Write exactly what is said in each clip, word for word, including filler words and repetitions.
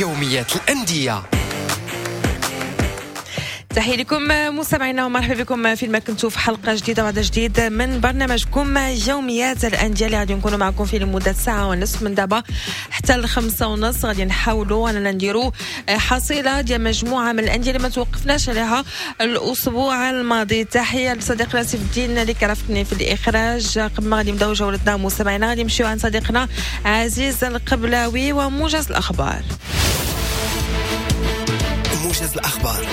يوميات الأندية. تحية لكم مستمعينا ومرحبا بكم في ما كنتوا في حلقة جديدة وعدد جديد من برنامجكم يوميات الأندية اللي غادي نكونوا معكم فيه لمدة ساعة ونصف من دابا حتى الخمسة ونص. غادي نحاولوا أننا نديروا حصيلة ديال مجموعة من الأندية اللي ما توقفناش عليها الأسبوع الماضي. تحية لصديقنا سيف الدين اللي كرفني في الإخراج. قبل ما غادي نبداو جولتنا مستمعينا غادي نمشيو عند صديقنا عزيز القبلاوي وموجز الأخبار. موجز الأخبار.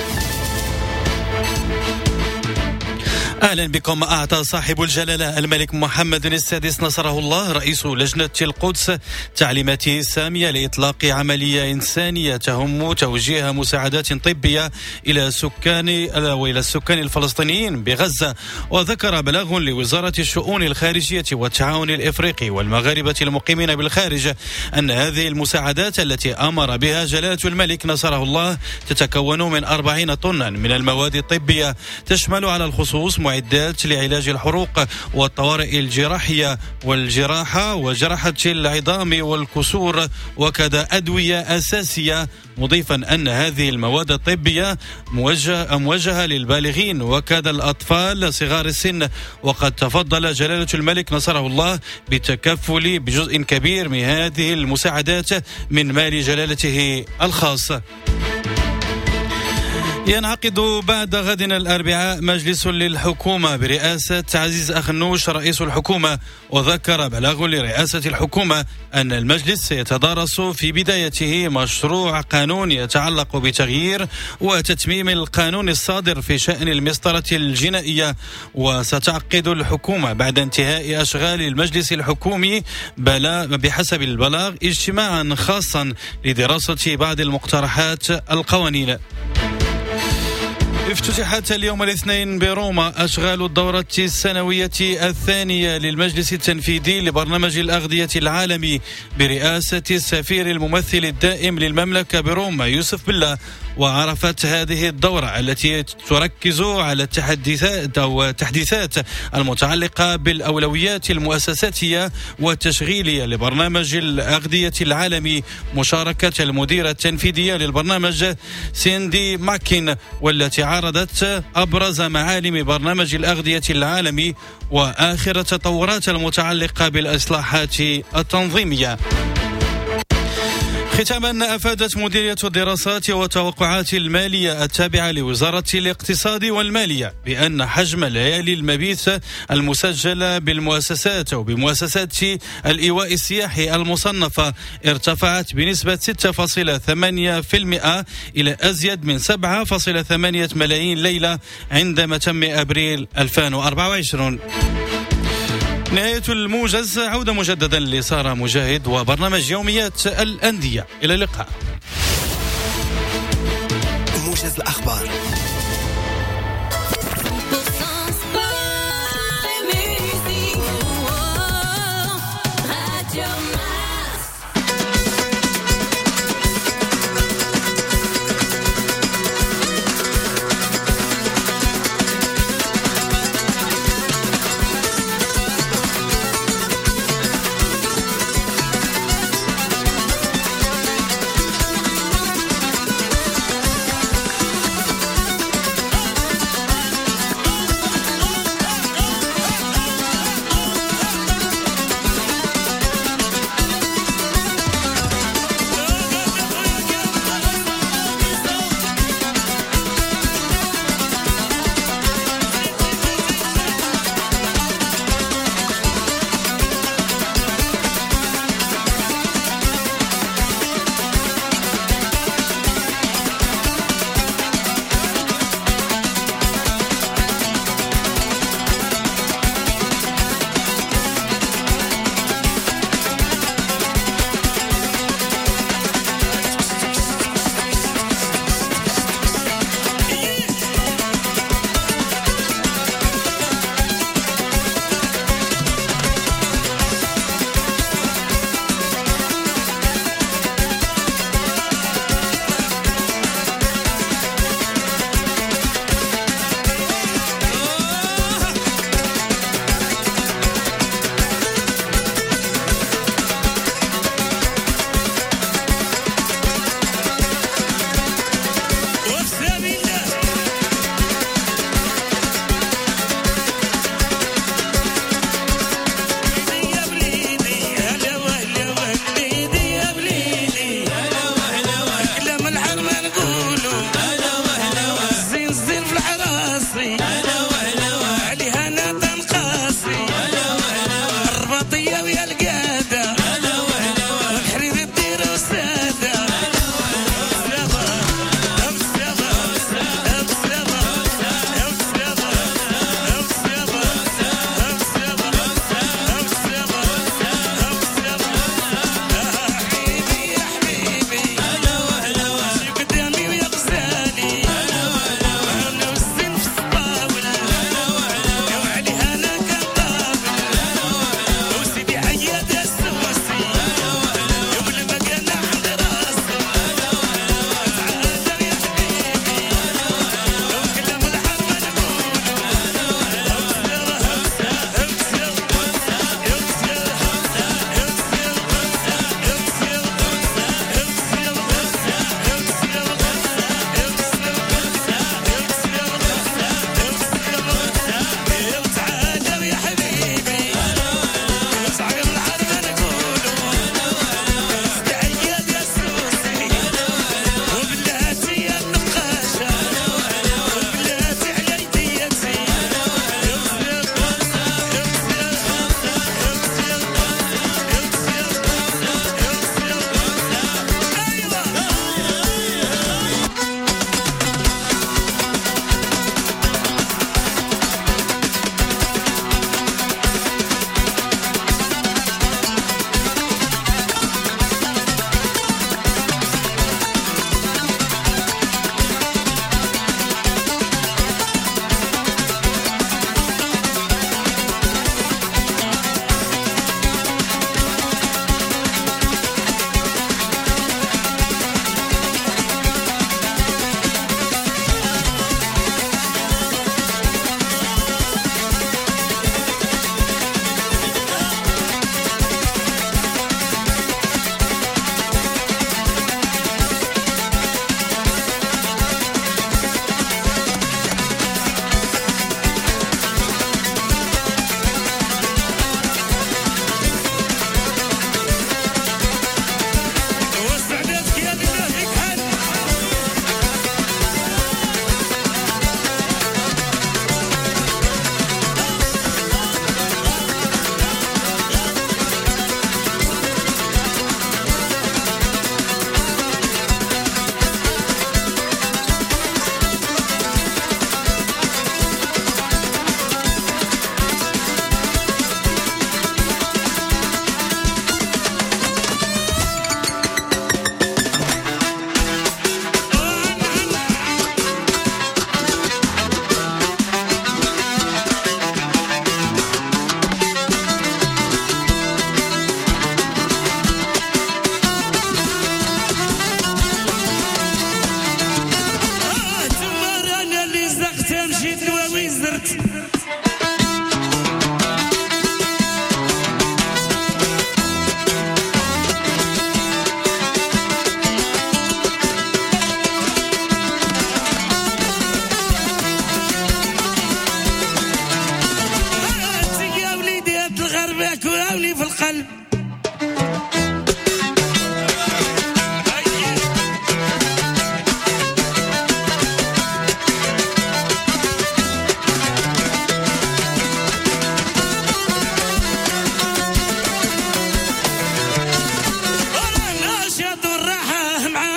أهلا بكم. أعطى صاحب الجلالة الملك محمد السادس نصره الله رئيس لجنة القدس تعليماته السامية لإطلاق عملية إنسانية تهم توجيه مساعدات طبية إلى سكان وإلى السكان الفلسطينيين بغزة. وذكر بلاغ لوزارة الشؤون الخارجية والتعاون الإفريقي والمغاربة المقيمين بالخارج أن هذه المساعدات التي أمر بها جلالة الملك نصره الله تتكون من أربعين طنا من المواد الطبية تشمل على الخصوص معدات لعلاج الحروق والطوارئ الجراحية والجراحة وجراحة العظام والكسور وكذا أدوية أساسية، مضيفا أن هذه المواد الطبية موجهة, موجهة للبالغين وكذا الأطفال صغار السن. وقد تفضل جلالة الملك نصره الله بالتكفل بجزء كبير من هذه المساعدات من مال جلالته الخاص. ينعقد بعد غد الأربعاء مجلس للحكومة برئاسة عزيز أخنوش رئيس الحكومة. وذكر بلاغ لرئاسة الحكومة أن المجلس سيتدارس في بدايته مشروع قانون يتعلق بتغيير وتتميم القانون الصادر في شأن المسطرة الجنائية. وستعقد الحكومة بعد انتهاء أشغال المجلس الحكومي بحسب البلاغ اجتماعا خاصا لدراسة بعض المقترحات القوانين. افتتحت اليوم الاثنين بروما أشغال الدورة السنوية الثانية للمجلس التنفيذي لبرنامج الأغذية العالمي برئاسة السفير الممثل الدائم للمملكة بروما يوسف بالله. وعرفت هذه الدورة التي تركز على التحديثات أو التحديثات المتعلقة بالأولويات المؤسساتية والتشغيلية لبرنامج الأغذية العالمي مشاركة المديرة التنفيذية للبرنامج سيندي ماكين، والتي عرضت أبرز معالم برنامج الأغذية العالمي وآخر التطورات المتعلقة بالإصلاحات التنظيمية. ختاما، أفادت مديرية الدراسات والتوقعات المالية التابعة لوزارة الاقتصاد والمالية بأن حجم ليالي المبيت المسجلة بالمؤسسات أو بمؤسسات الإيواء السياحي المصنفة ارتفعت بنسبة ستة فاصلة ثمانية بالمئة إلى أزيد من سبعة فاصلة ثمانية ملايين ليلة عند متم أبريل ألفين وأربعة وعشرين. نهاية الموجز، عودة مجددا لسارة مجاهد وبرنامج يوميات الأندية. إلى اللقاء. موجز الأخبار.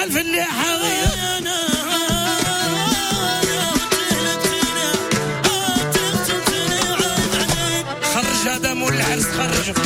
الفلاحة خرج هذا مول العرس خرج.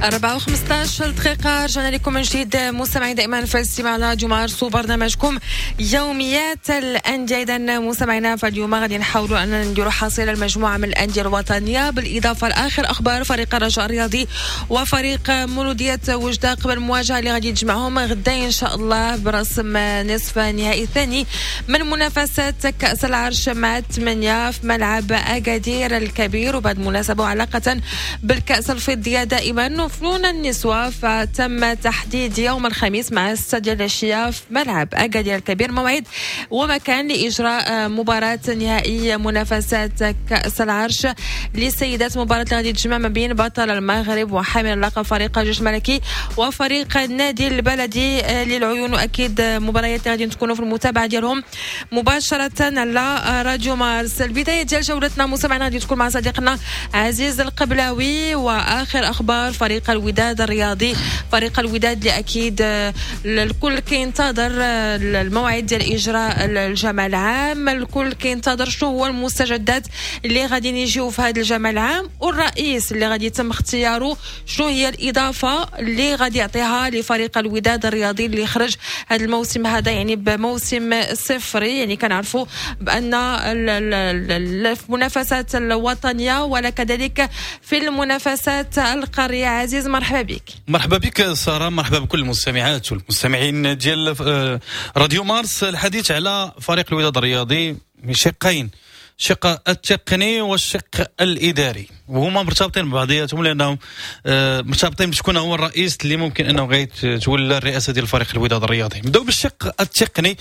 أربعة وخمسطاش دقيقة، رجعنا لكم من جديد مستمعين دائما في الاستماع راديو مارس وبرنامجكم يوميات الأندية. إذا مستمعينا فاليوم غادي نحاولوا أن نديروا حصيلة المجموعة من الأندية الوطنية، بالإضافة لآخر أخبار فريق الرجاء الرياضي وفريق مولودية وجدة قبل المواجهة اللي غادي تجمعهم غدا إن شاء الله برسم نصف النهائي الثاني من منافسات كأس العرش مع ثمانية في ملعب أكادير الكبير. وبعد مناسبة وعلاقة بالكأس الفضية دائما وفنون النسوة، فتم تحديد يوم الخميس مع ستة ديال العشية في ملعب أكادير الكبير موعد ومكان لإجراء مباراة نهائية منافسات كأس العرش للسيدات، مباراة اللي غادي تجمع ما بين بطل المغرب وحامل اللقب فريق الجيش الملكي وفريق النادي البلدي للعيون. وأكيد مباريات اللي غادي تكونوا في المتابعة ديالهم مباشرة على راديو مارس. البداية ديال جولتنا مستمعينا غادي تكون مع صديقنا عزيز القبلاوي وآخر أخبار فريق الوداد الرياضي. فريق الوداد اللي اكيد الكل كينتظر الموعد ديال اجراء الجمع العام، الكل كينتظر شنو هو المستجدات اللي غادي يجيو في هذا الجمع العام، والرئيس اللي غادي يتم اختياره شنو هي الاضافة اللي غادي يعطيها لفريق الوداد الرياضي اللي خرج هذا الموسم هذا يعني بموسم صفري. يعني كنعرفوا بان في المنافسات الوطنية ولا كذلك في المنافسات القارية. عزيز مرحبا بك. مرحبا بك سارة، مرحبا بكل المستمعات والمستمعين ديال راديو مارس. الحديث على فريق الوداد الرياضي من شقين، الشق التقني والشق الاداري، وهما مرتبطين ببعضياتهم لانهم مرتبطين بشكون هو الرئيس اللي ممكن انه غيتولى الرئاسة ديال فريق الوداد الرياضي. نبداو بالشق التقني.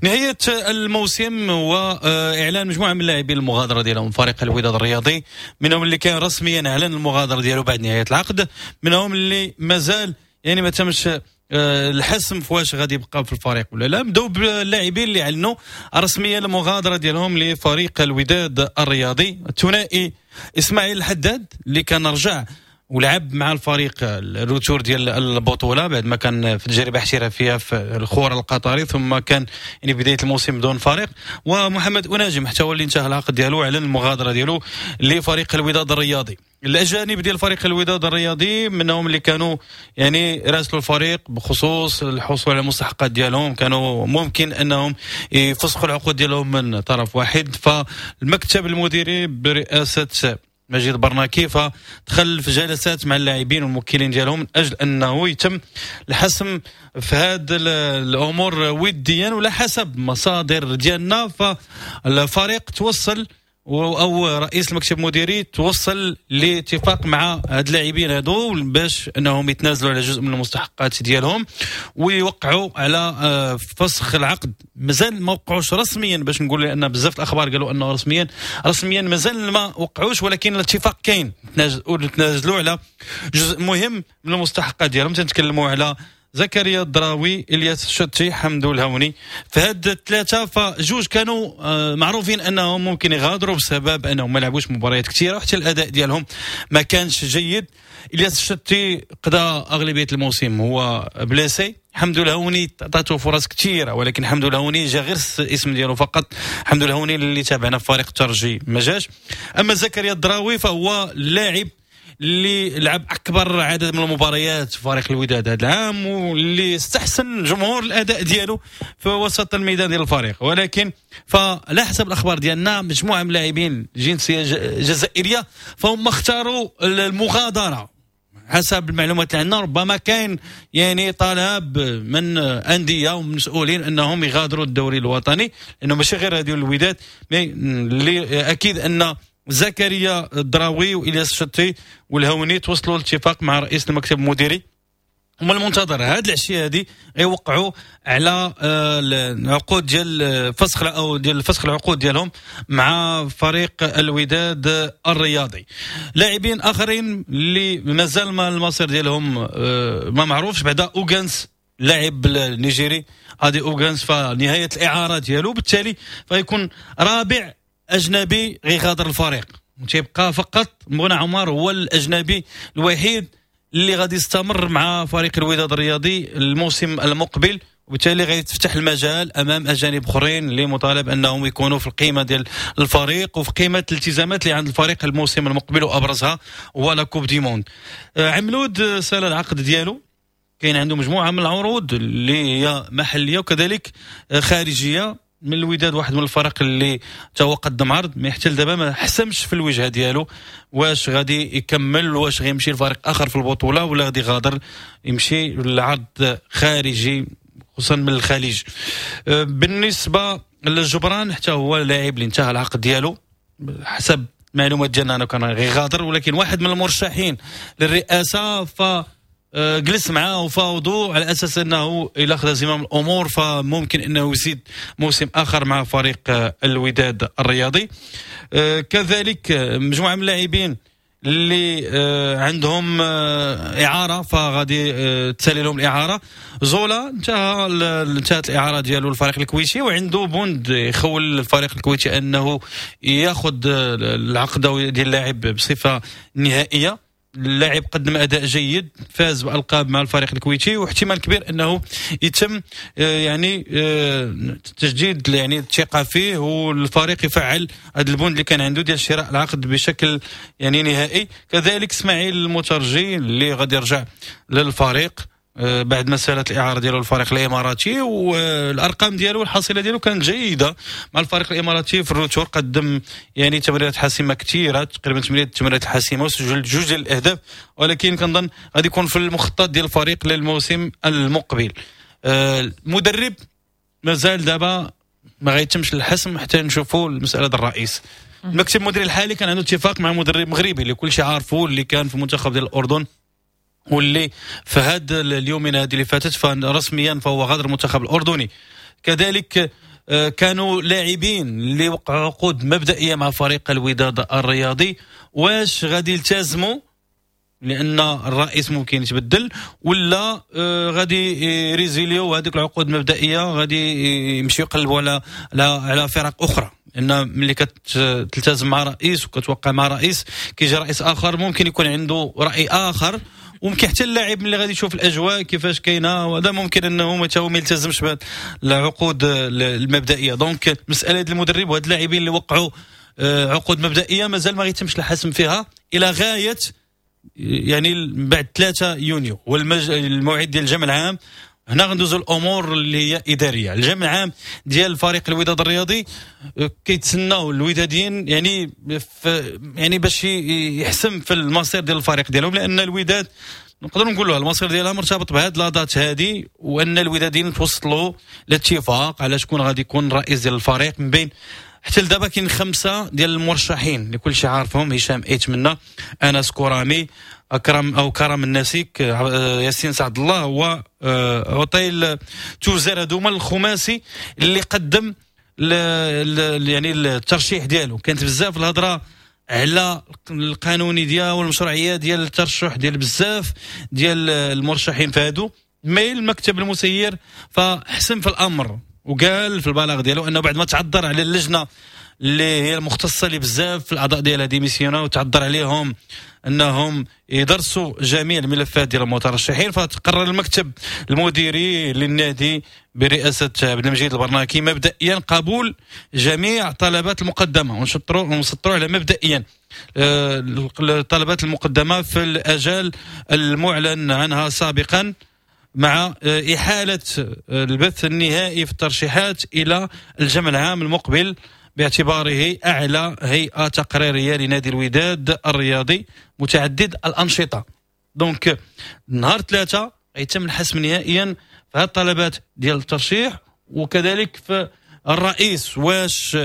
نهاية الموسم واعلان مجموعة من اللاعبين المغادرة ديالهم فريق الوداد الرياضي، منهم اللي كان رسميا اعلن المغادرة ديالو بعد نهاية العقد، منهم اللي مازال يعني ما تمش الحسم في واش غادي يبقى في الفريق ولا لا. نبداو باللاعبين اللي اعلنوا رسميا المغادرة ديالهم لفريق الوداد الرياضي. الثنائي اسماعيل الحداد اللي كان رجع ولعب مع الفريق ال retour ديال البطولة بعد ما كان في تجربه احترافية في الخور القطري، ثم كان يعني بداية الموسم بدون فريق. ومحمد أناجم حتى هو اللي انتهى العقد ديالو واعلن المغادرة ديالو لفريق الوداد الرياضي. الاجانب ديال فريق الوداد الرياضي منهم اللي كانوا يعني راسلوا الفريق بخصوص الحصول على المستحقات ديالهم، كانوا ممكن انهم يفسخوا العقود ديالهم من طرف واحد. فالمكتب المديري برئاسة مجيد برناكي فدخل في جلسات مع اللاعبين والموكلين ديالهم من اجل انه يتم الحسم في هذه الامور وديا. ولا حسب مصادر ديالنا فالفريق توصل او رئيس المكتب المديري توصل لاتفاق مع هاد اللاعبين هادو باش انهم يتنازلوا على جزء من المستحقات ديالهم ويوقعوا على فسخ العقد. مازال ما وقعوش رسميا، باش نقول لان بزاف الاخبار قالوا انه رسميا رسميا مازال ما وقعوش، ولكن الاتفاق كاين، تنازلوا على جزء مهم من المستحقات ديالهم. تنتكلموا على زكريا الدراوي، الياس الشتي، حمدو الهوني. فهاد الثلاثة فجوج كانوا معروفين انهم ممكن يغادروا بسبب انهم ما لعبوش مباريات كثيرة وحتى الاداء ديالهم ما كانش جيد. الياس الشتي قضى اغلبية الموسم هو blessé. حمدو الهوني عطاتو فرص كثيرة، ولكن حمدو الهوني جا غير الاسم ديالو فقط. حمدو الهوني اللي تابعنا في فريق الترجي ما جاش. اما زكريا الدراوي فهو لاعب اللي لعب اكبر عدد من المباريات في فريق الوداد هذا العام واللي استحسن جمهور الاداء ديالو في وسط الميدان ديال الفريق، ولكن فعلى حسب الاخبار ديالنا مجموعة من اللاعبين جنسية جزائرية فهم اختاروا المغادرة. حسب المعلومات اللي عندنا ربما كاين يعني طلب من اندية ومسؤولين انهم يغادروا الدوري الوطني، لانه ماشي غير هذه الوداد، اللي اكيد ان زكريا الدراوي والياس الشتي والهوني توصلوا لاتفاق مع رئيس المكتب المديري. ومن المنتظر هاد العشية هادي غيوقعوا على العقود ديال فسخ او ديال فسخ العقود ديالهم مع فريق الوداد الرياضي. لاعبين اخرين اللي مازال ما المصير ديالهم ما معروفش، بعدا اوغانس لاعب النيجيري هادي اوغانس فنهايه الاعارة ديالو، بالتالي فيكون رابع اجنبي غيغادر الفريق، وتيبقى فقط منى عمر هو الاجنبي الوحيد اللي غادي يستمر مع فريق الوداد الرياضي الموسم المقبل. وبالتالي غيتفتح المجال امام اجانب اخرين اللي مطالب انهم يكونوا في القيمة ديال الفريق وفي قيمة الالتزامات اللي عند الفريق الموسم المقبل، وابرزها هو la Coupe du Monde. عملود سال العقد ديالو، كاين عنده مجموعة من العروض اللي هي محليه وكذلك خارجية. من الوداد واحد من الفرق اللي تا هو قدم عرض، ما حتى دابا ما حسمش في الوجهة ديالو واش غادي يكمل، واش غيمشي لفريق اخر في البطولة ولا غادي يغادر يمشي لعرض خارجي خصوصا من الخليج. بالنسبة للجبران حتى هو لاعب اللي انتهى العقد ديالو حسب المعلومات ديالنا انه كان غيغادر، ولكن واحد من المرشحين للرئاسة ف جلس معاه وفاوضوا على اساس انه الى اخذ زمام الامور فممكن انه يزيد موسم اخر مع فريق الوداد الرياضي. كذلك مجموعة من اللاعبين اللي عندهم اعاره فغادي تسالي لهم الاعارة. زولا انتهى انتهت الاعارة ديالو الفريق الكويتي، وعنده بند يخول الفريق الكويتي انه ياخذ العقد ديال اللاعب بصفة نهائية. اللاعب قدم اداء جيد، فاز بالقاب مع الفريق الكويتي، واحتمال كبير انه يتم يعني تجديد يعني الثقة فيه، والفريق يفعل هذا البند اللي كان عنده ديال شراء العقد بشكل يعني نهائي. كذلك اسماعيل المترجي اللي غادي يرجع للفريق بعد ما سالت الاعارة ديالو الفريق الاماراتي، والارقام ديالو والحصيله ديالو كانت جيدة مع الفريق الاماراتي في ال retour، قدم يعني تمريرات حاسمة كثيرة، تقريبا ثمانية تمريرات حاسمة وسجل جوج ديال الاهداف، ولكن كنظن غادي يكون في المخطط ديال الفريق للموسم المقبل. المدرب مازال دابا ما غيتمش الحسم حتى نشوفوا المسالة ديال الرئيس. المكتب المديري الحالي كان عنده اتفاق مع مدرب مغربي اللي كلشي عارفه، اللي كان في المنتخب ديال الاردن، واللي في هذا اليومين هذه اللي فاتت فرسميا فهو غادر المنتخب الاردني. كذلك كانوا لاعبين اللي وقعوا عقود مبدئية مع فريق الوداد الرياضي، واش غادي يلتزموا لان الرئيس ممكن يتبدل، ولا غادي يريزيليو هذيك العقود المبدئية غادي يمشيو يقلبوا على على فرق اخرى؟ لان ملي كتلتزم مع رئيس وكتوقع مع رئيس، كيجي رئيس اخر ممكن يكون عنده راي اخر، وممكن حتى اللاعب ملي غادي يشوف الاجواء كيفاش كاينه وهذا ممكن انه ما تا يلتزمش بالعقود المبدئية. donc مسالة المدرب وهاد اللاعبين اللي وقعوا عقود مبدئية مازال ما غيتمش الحسم فيها الى غاية يعني بعد ثلاثة يونيو والموعد ديال الجمع العام. هنا غندوزو الامور اللي هي ادارية. الجمع العام ديال فريق الوداد الرياضي كيتسناو الوداديين يعني يعني باش يحسم في المصير ديال الفريق ديالهم، لان الوداد نقدروا نقولوا المصير ديالها مرتبط بهاد la date هادي، وان الوداديين توصلوا لاتفاق على شكون غادي يكون رئيس ديال الفريق. من بين حتى لدابا كاين خمسة ديال المرشحين اللي كلشي عارفهم: هشام ايتمنى، انس كورامي، اكرم او كرم الناسيك، ياسين سعد الله، وعطيل توزر. هادو هما الخماسي اللي قدم يعني الترشيح ديالو. كانت بزاف الهضرة على القانوني ديالو والمشروعيه ديال الترشح ديال بزاف ديال المرشحين في هادو، mais المكتب المسير فحسم في الامر وقال في البلاغ ديالو انه بعد ما تعذر على اللجنة اللي هي المختصة اللي بزاف في الاعضاء ديالها démissionna وتعذر عليهم انهم يدرسوا جميع الملفات ديال المترشحين، فتقرر المكتب المديري للنادي برئاسة عبد المجيد البرناكي مبدئيا قبول جميع طلبات المقدمة، ونشطروا ونسطروا على مبدئيا الطلبات المقدمة في الاجال المعلن عنها سابقا، مع إحالة البث النهائي في الترشيحات إلى الجمع العام المقبل باعتباره أعلى هيئة تقريرية لنادي الوداد الرياضي متعدد الأنشطة. donc نهار ثلاثة يتم الحسم نهائيا في هذه الطلبات ديال الترشيح، وكذلك في الرئيس واش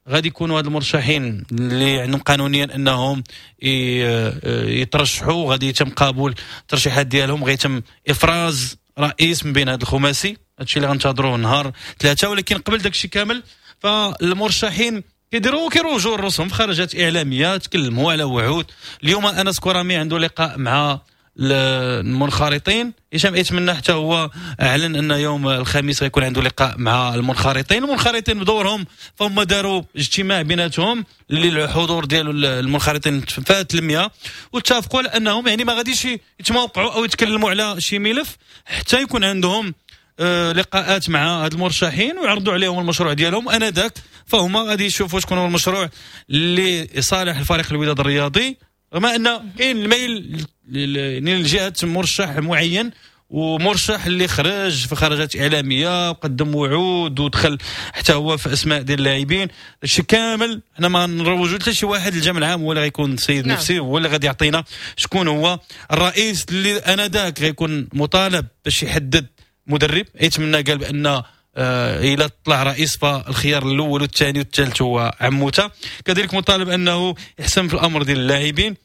غادي يكونوا هاد المرشحين اللي عندهم قانونيا انهم يترشحوا، غادي يتم قبول الترشيحات ديالهم، غيتم افراز رئيس من بين هاد الخماسي. هادشي اللي غنتظروه نهار ثلاثة. ولكن قبل داكشي كامل فالمرشحين كيديروا كيروجوا راسهم في خرجات اعلامية، تكلموا على وعود. اليوم انس كورامي عنده لقاء مع المنخرطين، هشام ايتمنى حتى هو اعلن ان يوم الخميس غيكون عنده لقاء مع المنخرطين. المنخرطين بدورهم فهم داروا اجتماع بيناتهم اللي الحضور ديال المنخرطين فات المية، واتفقوا على انهم يعني ما غاديش يتموقعوا او يتكلموا على شي ملف حتى يكون عندهم آه لقاءات مع هاد المرشحين ويعرضوا عليهم المشروع ديالهم انذاك، فهما غادي يشوفوا شكون هو المشروع اللي صالح الفريق الوداد الرياضي، رغم ان كاين الميل لجهة مرشح معين ومرشح اللي خرج في خرجات اعلامية وقدم وعود ودخل حتى هو في اسماء ديال اللاعبين. هادشي كامل حنا ما نروجوا حتى شي واحد، الجمع العام هو اللي غيكون سيد نعم. نفسي هو اللي غادي يعطينا شكون هو الرئيس اللي انذاك غيكون مطالب باش يحدد مدرب. يتمنى قال بان آه الى طلع رئيس فالخيار الاول والثاني والثالث هو عموتة. كذلك مطالب انه يحسم في الامر ديال اللاعبين.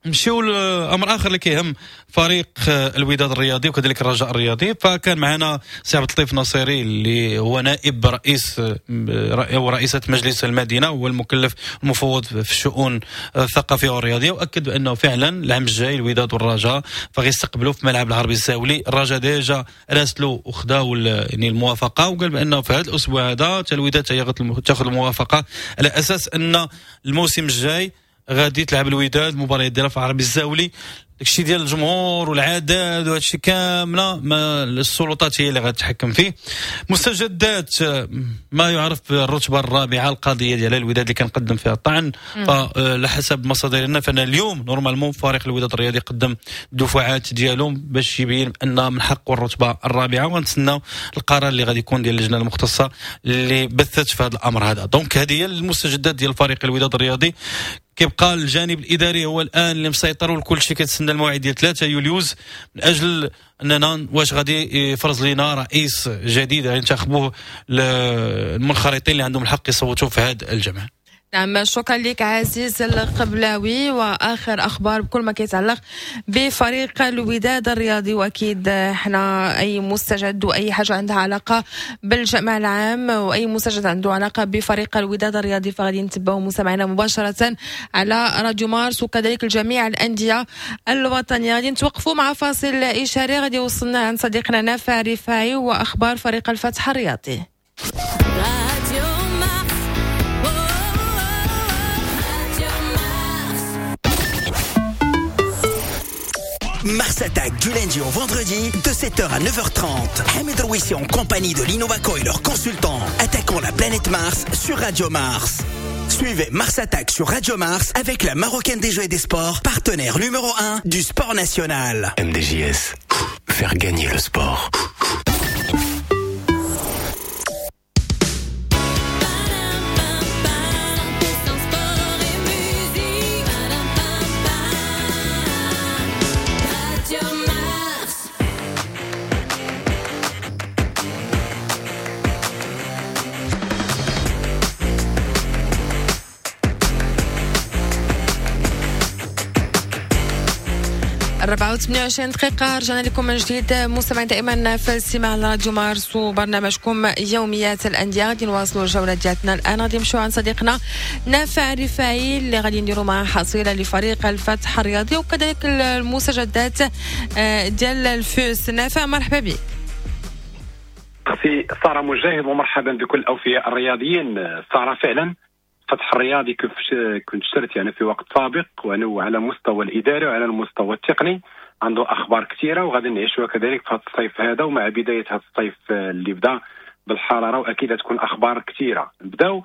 نمشيو لامر اخر اللي كيهم فريق الوداد الرياضي وكذلك الرجاء الرياضي. فكان معنا سي عبد اللطيف نصيري اللي هو نائب رئيس او رئيسه مجلس المدينة وهو المكلف المفوض في الشؤون الثقافية والرياضيه، واكد بانه فعلا العام الجاي الوداد والرجاء فغيستقبلوا في ملعب العربي الزاولي. الرجاء déjà راسلوا وخداو يعني الموافقة، وقال بانه في هذا الاسبوع هذا حتى الوداد تاخذ الموافقة على اساس ان الموسم الجاي غادي تلعب الوداد المباريات ديالها في العربي الزاولي. داكشي ديال الجمهور والعدد وهادشي كاملة ما السلطات هي اللي غتحكم فيه. مستجدات ما يعرف بالرتبه الرابعة، القضية ديال الوداد اللي كنقدم فيها الطعن، فحسب مصادرنا فان اليوم normalement فريق الوداد الرياضي قدم الدفعات ديالهم باش يبين ان من حقه الرتبة الرابعة، ونتسناو القرار اللي غادي يكون ديال اللجنة المختصة اللي بثت في هذا الامر هذا. donc هذه هي المستجدات ديال فريق الوداد الرياضي. كيبقى الجانب الاداري هو الان اللي مسيطر، والكل شيء كيتسنى الموعد ديال ثلاثة يوليوز من اجل اننا واش غادي يفرز لنا رئيس جديد ينتخبوه المنخرطين اللي عندهم الحق يصوتوا في هذا الجمع. نعم، شكرا لك عزيز القبلاوي. واخر اخبار بكل ما كيتعلق بفريق الوداد الرياضي، واكيد احنا اي مستجد واي حاجة عندها علاقة بالجمع العام واي مستجد عنده علاقة بفريق الوداد الرياضي فغادي نتبعوا مستمعينا مباشرة على راديو مارس، وكذلك الجميع الاندية الوطنية. غادي نتوقفوا مع فاصل اشاري غادي يوصلنا عند صديقنا نافع رفاعي واخبار فريق الفتح الرياضي. Mars Attack du lundi au vendredi de sept heures à neuf heures trente. Hamid Rouissi en compagnie de l'Innovaco et leurs consultants attaquons la planète Mars sur Radio Mars. Suivez Mars Attack sur Radio Mars avec la Marocaine des Jeux et des Sports, partenaire numéro un du sport national. M D J S, faire gagner le sport. أربعة وثمانية وعشرين دقيقة، رجعنا لكم من جديد مستمعين دائما في الاستماع على راديو مارس وبرنامجكم يوميات الأندية. غادي نواصلوا الجولة ديالتنا الآن، غادي نمشيو عند صديقنا نافع رفاعي اللي غادي نديروا معاه حصيلة لفريق الفتح الرياضي وكذلك المستجدات ديال الفوس. نافع مرحبا بك. أختي سارة مجاهد ومرحبا بكل الأوفياء الرياضيين. سارة فعلا الفتح الرياضي كيف كنت شرت يعني في وقت سابق، وانه على مستوى الاداري وعلى المستوى التقني عنده اخبار كثيرة وغادي نعيشوها كذلك في هذا الصيف هذا، ومع بداية هذا الصيف اللي بدا بالحرارة واكيد تكون اخبار كثيرة. نبداو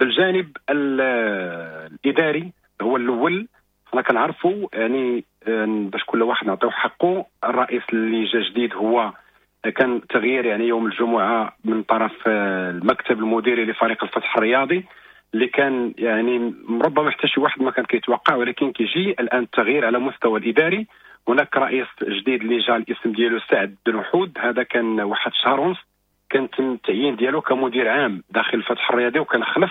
بالجانب الاداري هو الاول. حنا كنعرفوا يعني باش كل واحد نعطيو حقه، الرئيس اللي جا جديد هو كان تغيير يعني يوم الجمعة من طرف المكتب المديري لفريق الفتح الرياضي اللي كان يعني ربما حتى شي واحد ما كان كيتوقع، ولكن كيجي الان التغيير على مستوى الاداري. هناك رئيس جديد اللي جا الاسم ديالو سعد بن وحود، هذا كان واحد شهر ونص كان تم التعيين ديالو كمدير عام داخل الفتح الرياضي، وكان خلف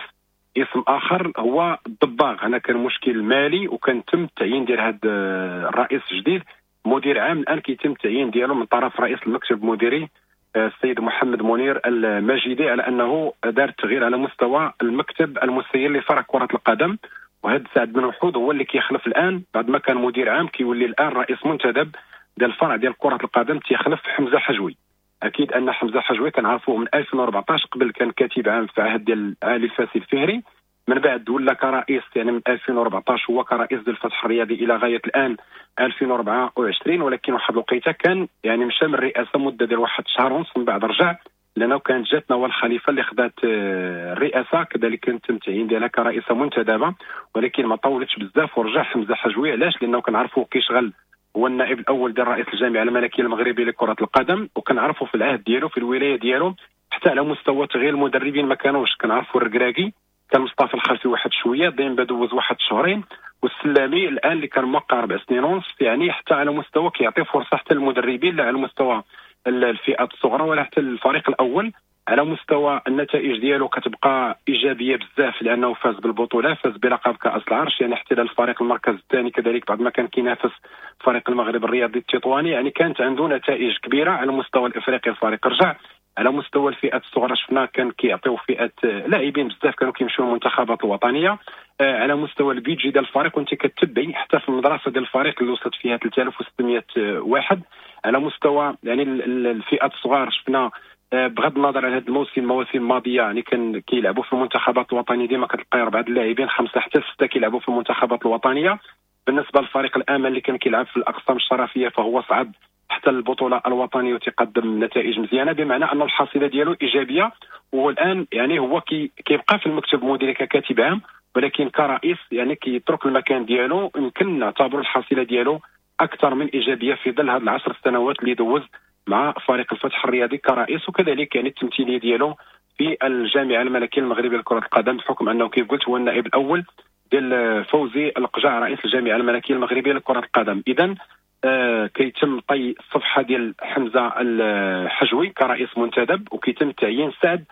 اسم اخر هو الضباغ. هنا كان مشكل مالي وكان تم التعيين ديال هذا الرئيس الجديد مدير عام. الان كيتم التعيين ديالو من طرف رئيس المكتب المديري السيد محمد منير المجيدي، على انه دار التغيير على مستوى المكتب المسير لفرع كرة القدم. وهذا سعد بن وحود هو اللي كيخلف الان بعد ما كان مدير عام، كيولي الان رئيس منتدب ديال الفرع ديال كرة القدم، تيخلف حمزة حجوي. اكيد ان حمزة حجوي كنعرفوه من ألفين وأربعطاش، قبل كان كاتب عام في عهد ديال علي الفاسي الفهري، من بعد ولا كرئيس يعني من ألفين وأربعطاش هو كرئيس ديال الفتح الرياضي الى غاية الان ألفين وأربعة وعشرين، ولكن واحد الوقيته كان يعني مشى من الرئاسة مده ديال واحد شهر ونص، من بعد رجع لانه كانت جات نوال الخليفة اللي خدات الرئاسة، كذلك كان تم التعيين ديالها كرئيسه منتدبه، ولكن ما طولتش بزاف ورجع حمزة حجوي. علاش؟ لانه كنعرفوا كيشغل هو النائب الاول ديال رئيس الجامعة الملكية المغربية لكرة القدم، وكنعرفوا في العهد ديالو في الولاية ديالو حتى على مستوى تغيير المدربين ما كانوش، كنعرفوا الركراكي كان مصطفى الخلفي واحد شوية، ديما دوز واحد شهرين، والسلامي الان اللي كان موقع اربع سنين ونص، يعني حتى على مستوى كيعطي فرصة حتى للمدربين لا على مستوى الفئات الصغرى ولا حتى الفريق الاول. على مستوى النتائج ديالو كتبقى ايجابية بزاف، لانه فاز بالبطولة، فاز بلقب كاس العرش، يعني احتل الفريق المركز الثاني كذلك بعد ما كان كينافس فريق المغرب الرياضي التطواني، يعني كانت عنده نتائج كبيرة على المستوى الافريقي. الفريق رجع على مستوى الفئات الصغرى، شفنا كان كيعطيو فئات لاعبين بزاف كانوا كيمشيو للمنتخبات الوطنية. على مستوى ال budget ديال الفريق وانت كتبعي حتى في المدرسة ديال الفريق اللي وصلت فيها ثلاثة آلاف وستمائة واحد. على مستوى يعني الفئات الصغار شفنا بغض النظر عن هذا الموسم، المواسم الماضية يعني كان كيلعبوا في المنتخبات الوطنية ديما كتلقى اربعة اللاعبين خمسة حتى ستة كيلعبوا في المنتخبات الوطنية. بالنسبة للفريق الامل اللي كان كيلعب في الاقسام الشرفيه فهو صعد حتى البطولة الوطنية وتقدم نتائج مزيانه، بمعنى ان الحصيلة ديالو ايجابية. والان يعني هو كي كيبقى في المكتب المديري ككاتب عام، ولكن كرئيس يعني كيترك المكان ديالو، يمكن نعتبر الحصيلة ديالو اكثر من ايجابية في ظل هذه العشر سنوات اللي دوز مع فريق الفتح الرياضي كرئيس، وكذلك يعني التمثيلية ديالو في الجامعة الملكية المغربية لكرة القدم، بحكم انه كيف قلت هو النائب الاول ديال فوزي القجع رئيس الجامعة الملكية المغربية لكرة القدم. اذا آه كيتم طي الصفحة ديال حمزة الحجوي كرئيس منتدب، وكيتم تعيين سعد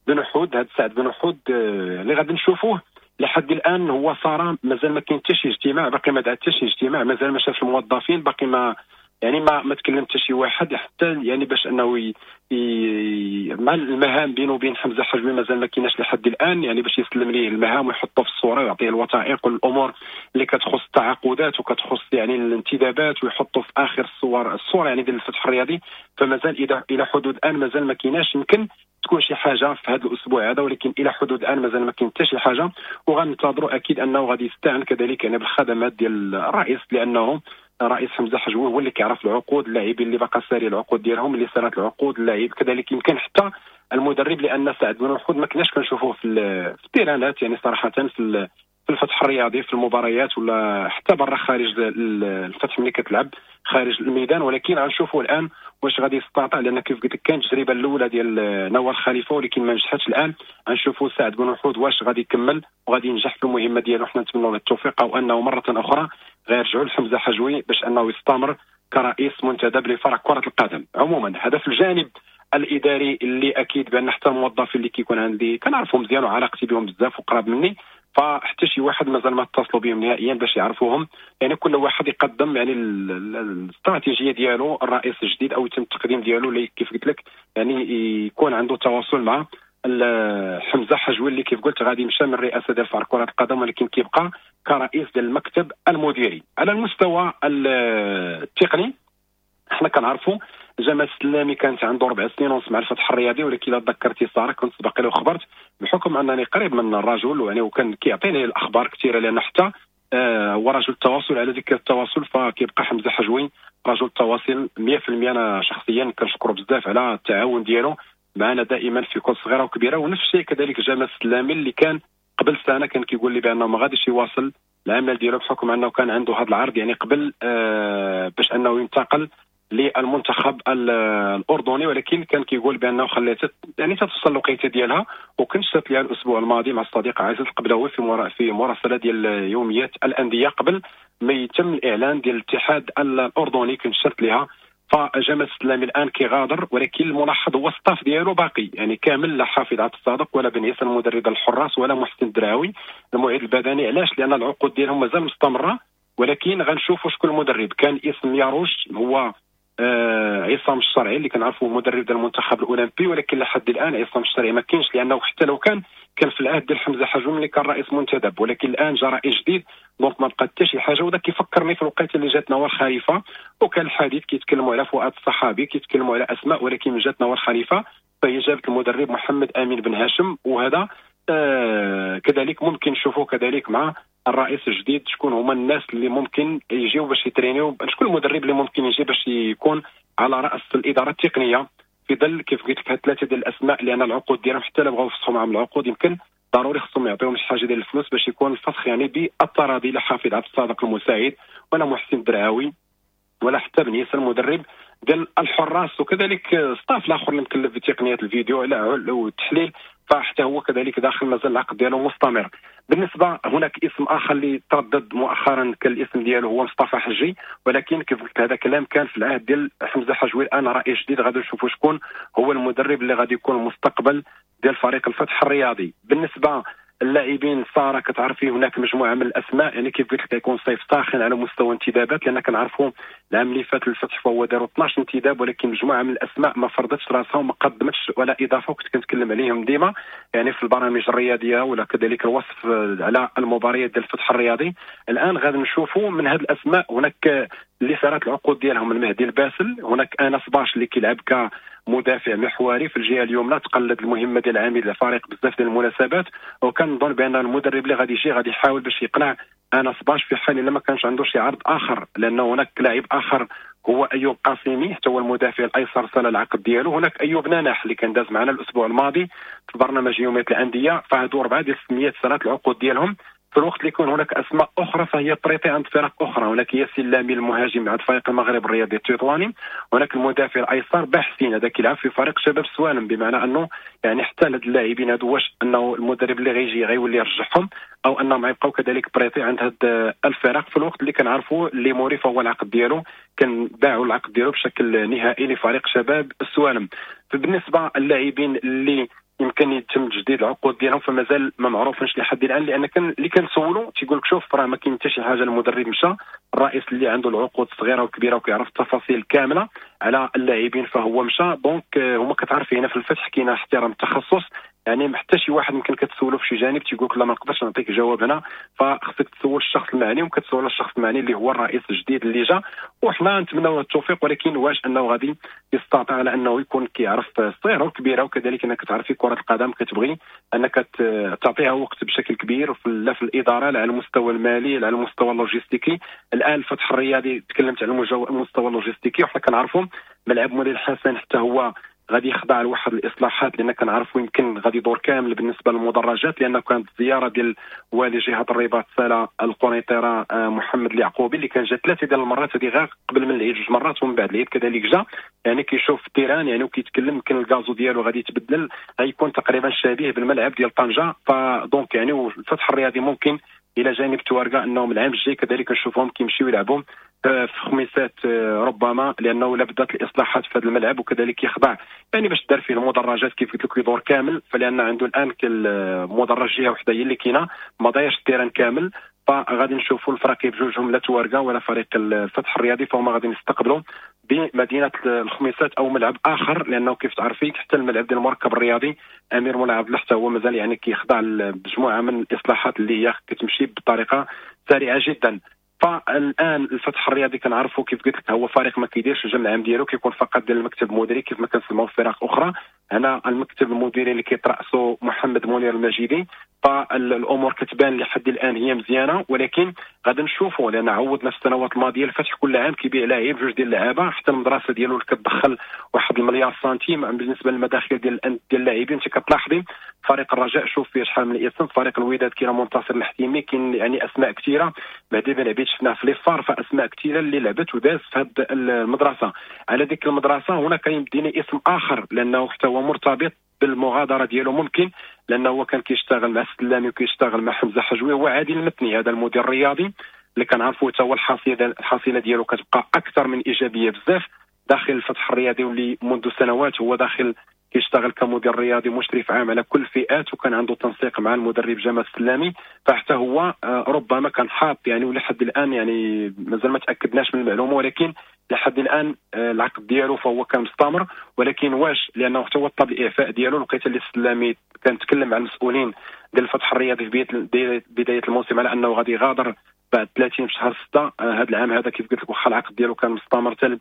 بن حود. هذا سعد بن حود آه اللي غادي نشوفوه لحد الان هو صار مازال ما كاين حتى شي اجتماع، باقي ما دعا حتى شي اجتماع، مازال ما شافش الموظفين، باقي ما يعني ما ما تكلم حتى شي واحد حتى يعني باش انه ي... ي... مع المهام بينه وبين حمزة حجوي مازال ما كايناش لحد الان، يعني باش يسلم ليه المهام ويحطه في الصورة ويعطيه الوثائق والامور اللي كتخص التعاقدات وكتخص يعني الانتدابات ويحطه في اخر الصور الصورة يعني ديال الفتح الرياضي. فمازال الى الى حدود الان مازال ما كايناش، يمكن تكون شي حاجة في هذا الاسبوع هذا، ولكن الى حدود الان مازال ما كاين حتى شي حاجة. وغننتظروا اكيد انه غادي يستعن كذلك يعني بالخدمات ديال الرئيس، لانه رئيس حمزة حجوي هو اللي كيعرف العقود، اللاعبين اللي باقا ساري العقود ديالهم، اللي سارت العقود اللاعب، كذلك يمكن حتى المدرب، لان سعد بن وحود ما كناش كنشوفوه في التيرانات يعني صراحة في في الفتح الرياضي في المباريات ولا حتى برا خارج الفتح ملي كتلعب خارج الميدان، ولكن غنشوفوا الان واش غادي يستطيع، لان كيف قلت لك كانت التجربة الاولى ديال نوال خليفة ولكن ما نجحتش. الان غنشوفوا سعد بن وحود واش غادي يكمل وغادي ينجح في المهمة ديالو. حنا نتمنوا له التوفيق، او انه مرة اخرى غيرجعوا لحمزة حجوي باش انه يستمر كرئيس منتدب لفرع كره القدم. عموما هذا في الجانب الاداري اللي اكيد بان حتى الموظفين اللي كيكون عندي كنعرفهم مزيان وعلاقتي بهم بزاف وقراب مني، فحتى شي واحد مازال ما اتصلوا بهم نهائيا باش يعرفوهم. يعني كل واحد يقدم يعني الاستراتيجية ديالو الرئيس الجديد او يتم التقديم ديالو اللي كيف قلت لك يعني يكون عنده تواصل مع حمزة حجوي اللي كيف قلت غادي يمشى من الرئاسة ديال فريق كره القدم، ولكن كيبقى كرئيس ديال المكتب المديري. على المستوى التقني حنا كنعرفوا جمال السلامي كانت عنده اربع سنين ونص مع الفتح الرياضي، ولكن الا تذكرتي ساره كنت سبق له خبرت بحكم انني قريب من الرجل ويعني وكان كيعطيني الاخبار كثيرة، لان حتى آه هو رجل التواصل. على ذكر التواصل فكيبقى حمزة حجوي رجل التواصل مية في المية. انا شخصيا كنشكره بزاف على التعاون ديالو معنا دائما في كل صغيرة وكبيره. ونفس الشيء كذلك جمال السلامي اللي كان قبل سنة كان كيقول لي بانه ما غاديش يواصل العمل ديالو بحكم انه كان عنده هذا العرض يعني قبل آه باش انه ينتقل للمنتخب الاردني، ولكن كان كيقول بانه خليها يعني تتوصل الوقيته ديالها. وكنت شفت ليها الاسبوع الماضي مع الصديق عزيز القبلاوي في في مراسله ديال يوميات الاندية قبل ما يتم الاعلان ديال الاتحاد الاردني، كنت شرت لها. فجمال السلامي الان كيغادر، ولكن الملاحظ هو staff ديالو باقي يعني كامل، لا حافظ عبد الصادق ولا بن عيسى المدرب الحراس ولا محسن الدراوي المعيد البدني. علاش؟ لان العقود ديالهم مازال مستمرة، ولكن غنشوفوا شكون المدرب. كان اسم ياروش هو آه عصام الشرعي اللي كنعرفوه مدرب ديال المنتخب الاولمبي، ولكن لحد الان عصام الشرعي ما كاينش، لانه حتى لو كان كان في العهد ديال حمزة حجوي اللي كان رئيس منتدب، ولكن الان جا رئيس جديد donc ما بقى حتى شي حاجة. وذا كيفكرني في الوقيته اللي جات نوال خليفة، وكان الحديث كيتكلموا على فؤاد الصحابي، كيتكلموا على اسماء، ولكن من جات نوال خليفة فهي جابت المدرب محمد امين بن هاشم، وهذا آه كذلك ممكن نشوفوا كذلك مع الرئيس الجديد شكون هما الناس اللي ممكن يجيو باش يترينيو، شكون المدرب اللي ممكن يجي باش يكون على راس الادارة التقنية في ظل كيف قلت لك هاد ثلاثة ديال الاسماء، لان العقود ديالهم حتى لا بغاو يفسخوا معاهم العقود يمكن ضروري خصهم يعطيهم شي حاجة ديال الفلوس باش يكون الفسخ يعني بالتراضي، لا حافظ عبد الصادق المساعد ولا محسن الدرعاوي ولا حتى بن ياسر المدرب ديال الحراس، وكذلك staff الاخر اللي مكلف بتقنية الفيديو والتحليل فحتى هو كذلك داخل مازال العقد ديالو مستمر. بالنسبة هناك اسم اخر اللي تردد مؤخرا كان الاسم ديالو هو مصطفى حجي، ولكن كيف قلت هذا كلام كان في العهد ديال حمزة حجوي. الان رئيس جديد غادي نشوفوا شكون هو المدرب اللي غادي يكون المستقبل ديال فريق الفتح الرياضي. بالنسبة اللاعبين ساره كتعرفي هناك مجموعة من الاسماء، يعني كيف قلت لك يكون صيف ساخن على مستوى انتدابات، لان كنعرفوا العام اللي فات الفتح فهو داروا اثناش انتداب، ولكن مجموعة من الاسماء ما فرضتش راسها وما قدمتش ولا اضافه، وكنت كنتكلم عليهم ديما يعني في البرامج الرياضية ولا كذلك الوصف على المباريات ديال الفتح الرياضي. الان غادي نشوفوا من هذه الاسماء هناك اللي صارت العقود ديالهم المهدي الباسل، هناك انس باش اللي كيلعب كمدافع محوري في الجهة اليمنى، تقلد المهمة ديال عميد الفريق بزاف ديال المناسبات، وكنظن بان المدرب اللي غادي يجي غادي يحاول باش يقنع انس باش في حال الا ما كانش عنده شي عرض اخر، لانه هناك لاعب اخر هو ايوب قاسمي حتى هو المدافع الايسر سال العقد ديالو، هناك ايوب ناناح اللي كان داز معنا الاسبوع الماضي في برنامج يومية الاندية، فهادو اربعة ديال السميات سالات العقود ديالهم. في الوقت اللي يكون هناك اسماء اخرى فهي prêtés عند فرق اخرى، هناك ياسين لامي المهاجم عند فريق المغرب الرياضي التطواني، هناك المدافع الايسر باحسين هذا كيلعب في فريق شباب سوالم، بمعنى انه يعني حتى هاد اللاعبين هادو واش انه المدرب اللي غيجي غيولي يرجعهم او انهم غيبقاو كذلك prêtés عند هاد الفرق. في الوقت اللي كنعرفوا اللي موري فهو العقد ديالو كان باعوا العقد ديالو بشكل نهائي لفريق شباب السوالم. فبالنسبه للاعبين اللي يمكن يتم تجديد العقود ديالهم فمازال ما معروفينش لحد الان، لان كان اللي كنسولو تيقول لك شوف راه ما كاين حتى شي حاجة، المدرب مشى، الرئيس اللي عنده العقود الصغيرة والكبيرة وكيعرف التفاصيل كاملة على اللاعبين فهو مشى. donc هما كتعرف هنا في الفتح كاين احترام التخصص، يعني حتى شي واحد يمكن كتسولو في شي جانب تيقول لك لا ما نقدرش نعطيك جواب هنا، فخصك تسول الشخص المعني، وكتسول الشخص المعني اللي هو الرئيس الجديد اللي جا، وحنا نتمنوا التوفيق، ولكن واش انه غادي يستطيع على انه يكون كيعرف الصغيرة والكبيرة، وكذلك انك تعرفي كره القدم كتبغي انك تعطيها وقت بشكل كبير لا في الادارة لا على المستوى المالي لا على المستوى اللوجستيكي. الان الفتح الرياضي تكلمت على المستوى اللوجستيكي، وحنا كنعرفوا ملعب مولاي الحسن حتى هو غادي يخضع لواحد الاصلاحات، لان كنعرفوا يمكن غادي يدور كامل بالنسبة للمدرجات، لان كانت الزيارة ديال والي جهة الرباط سلا القنيطره محمد اليعقوبي اللي كان جا ثلاثة ديال المرات، هذه غير قبل من العيد جوج مرات ومن بعد العيد كذلك جا، يعني كيشوف ال terrain يعني وكيتكلم، يمكن ال gazon ديالو غادي يتبدل، غيكون تقريبا شبيه بالملعب ديال طنجه. ف donc يعني الفتح الرياضي ممكن الى جانب توارقه انهم العام الجاي كذلك نشوفهم كيمشيو يلعبوا في خميسات ربما، لانه لا بدات الاصلاحات في هذا الملعب، وكذلك يخضع يعني باش دار فيه المدرجات كيف قلت لك يدور كامل، فلان عنده الان المدرج جهة وحده هي اللي كاينه ما ضايعش ال terrain كامل. فغادي نشوفوا الفريق بجوجهم لا توارقه ولا فريق الفتح الرياضي فهما غادي يستقبلوا بمدينة الخميسات او ملعب اخر، لانه كيف تعرفي حتى الملعب ديال المركب الرياضي امير مولاي عبد الله حتى هو مازال يعني كيخضع لمجموعة من الاصلاحات اللي هي كتمشي بطريقة سريعة جدا. فالان الفتح الرياضي كنعرفوا كيف قلت لك هو فريق ما كيديرش الجمع العام ديالو، كيكون فقط ديال المكتب المديري كيف ما كنسمعوا في فرق اخرى. هنا المكتب المديري اللي كيترأسو محمد منير المجيدي، فالامور كتبان لحد الان هي مزيانه، ولكن غادي نشوفوا لان عودنا في السنوات الماضية الفتح كل عام كيبيع لاعب جوج ديال اللعابه، حتى المدرسة ديالو اللي كتدخل واحد المليار سنتيم بالنسبة للمداخل ديال ديال اللاعبين. انت كتلاحظي فريق الرجاء شوف فيه شحال من اسم، فريق الوداد كاين منتصر الحتيمي، كاين يعني اسماء كثيرة، مهدي بن عبيد شفناه في les FAR، فاسماء كثيرة اللي لعبت وداز في هذه المدرسة. على ديك المدرسة هنا كيديني اسم اخر لانه حتى هو مرتبط بالمغادره ديالو ممكن، لانه هو كان كيشتغل مع السلامي وكيشتغل مع حمزة حجوي، هو عادل المتني هذا المدير الرياضي اللي كنعرفوا حتى هو الحصيلة الحصيلة ديالو كتبقى اكثر من ايجابية بزاف داخل الفتح الرياضي، واللي منذ سنوات هو داخل كيشتغل كمدير رياضي مشرف عام على كل الفئات، وكان عنده تنسيق مع المدرب جمال السلامي، فحتى هو ربما كان حاط يعني ولحد الان يعني مازال ما تاكدناش من المعلومة، ولكن لحد الان العقد ديالو فهو كان مستمر. ولكن واش لانه حتى هو طلب الاعفاء ديالو، لقيت اللي السلامي كان تكلم مع المسؤولين ديال الفتح الرياضي في بداية الموسم على انه غادي يغادر بعد ثلاثين في شهر ستة هذا العام هذا كيف قلت لك، واخا العقد ديالو كان مستمر حتى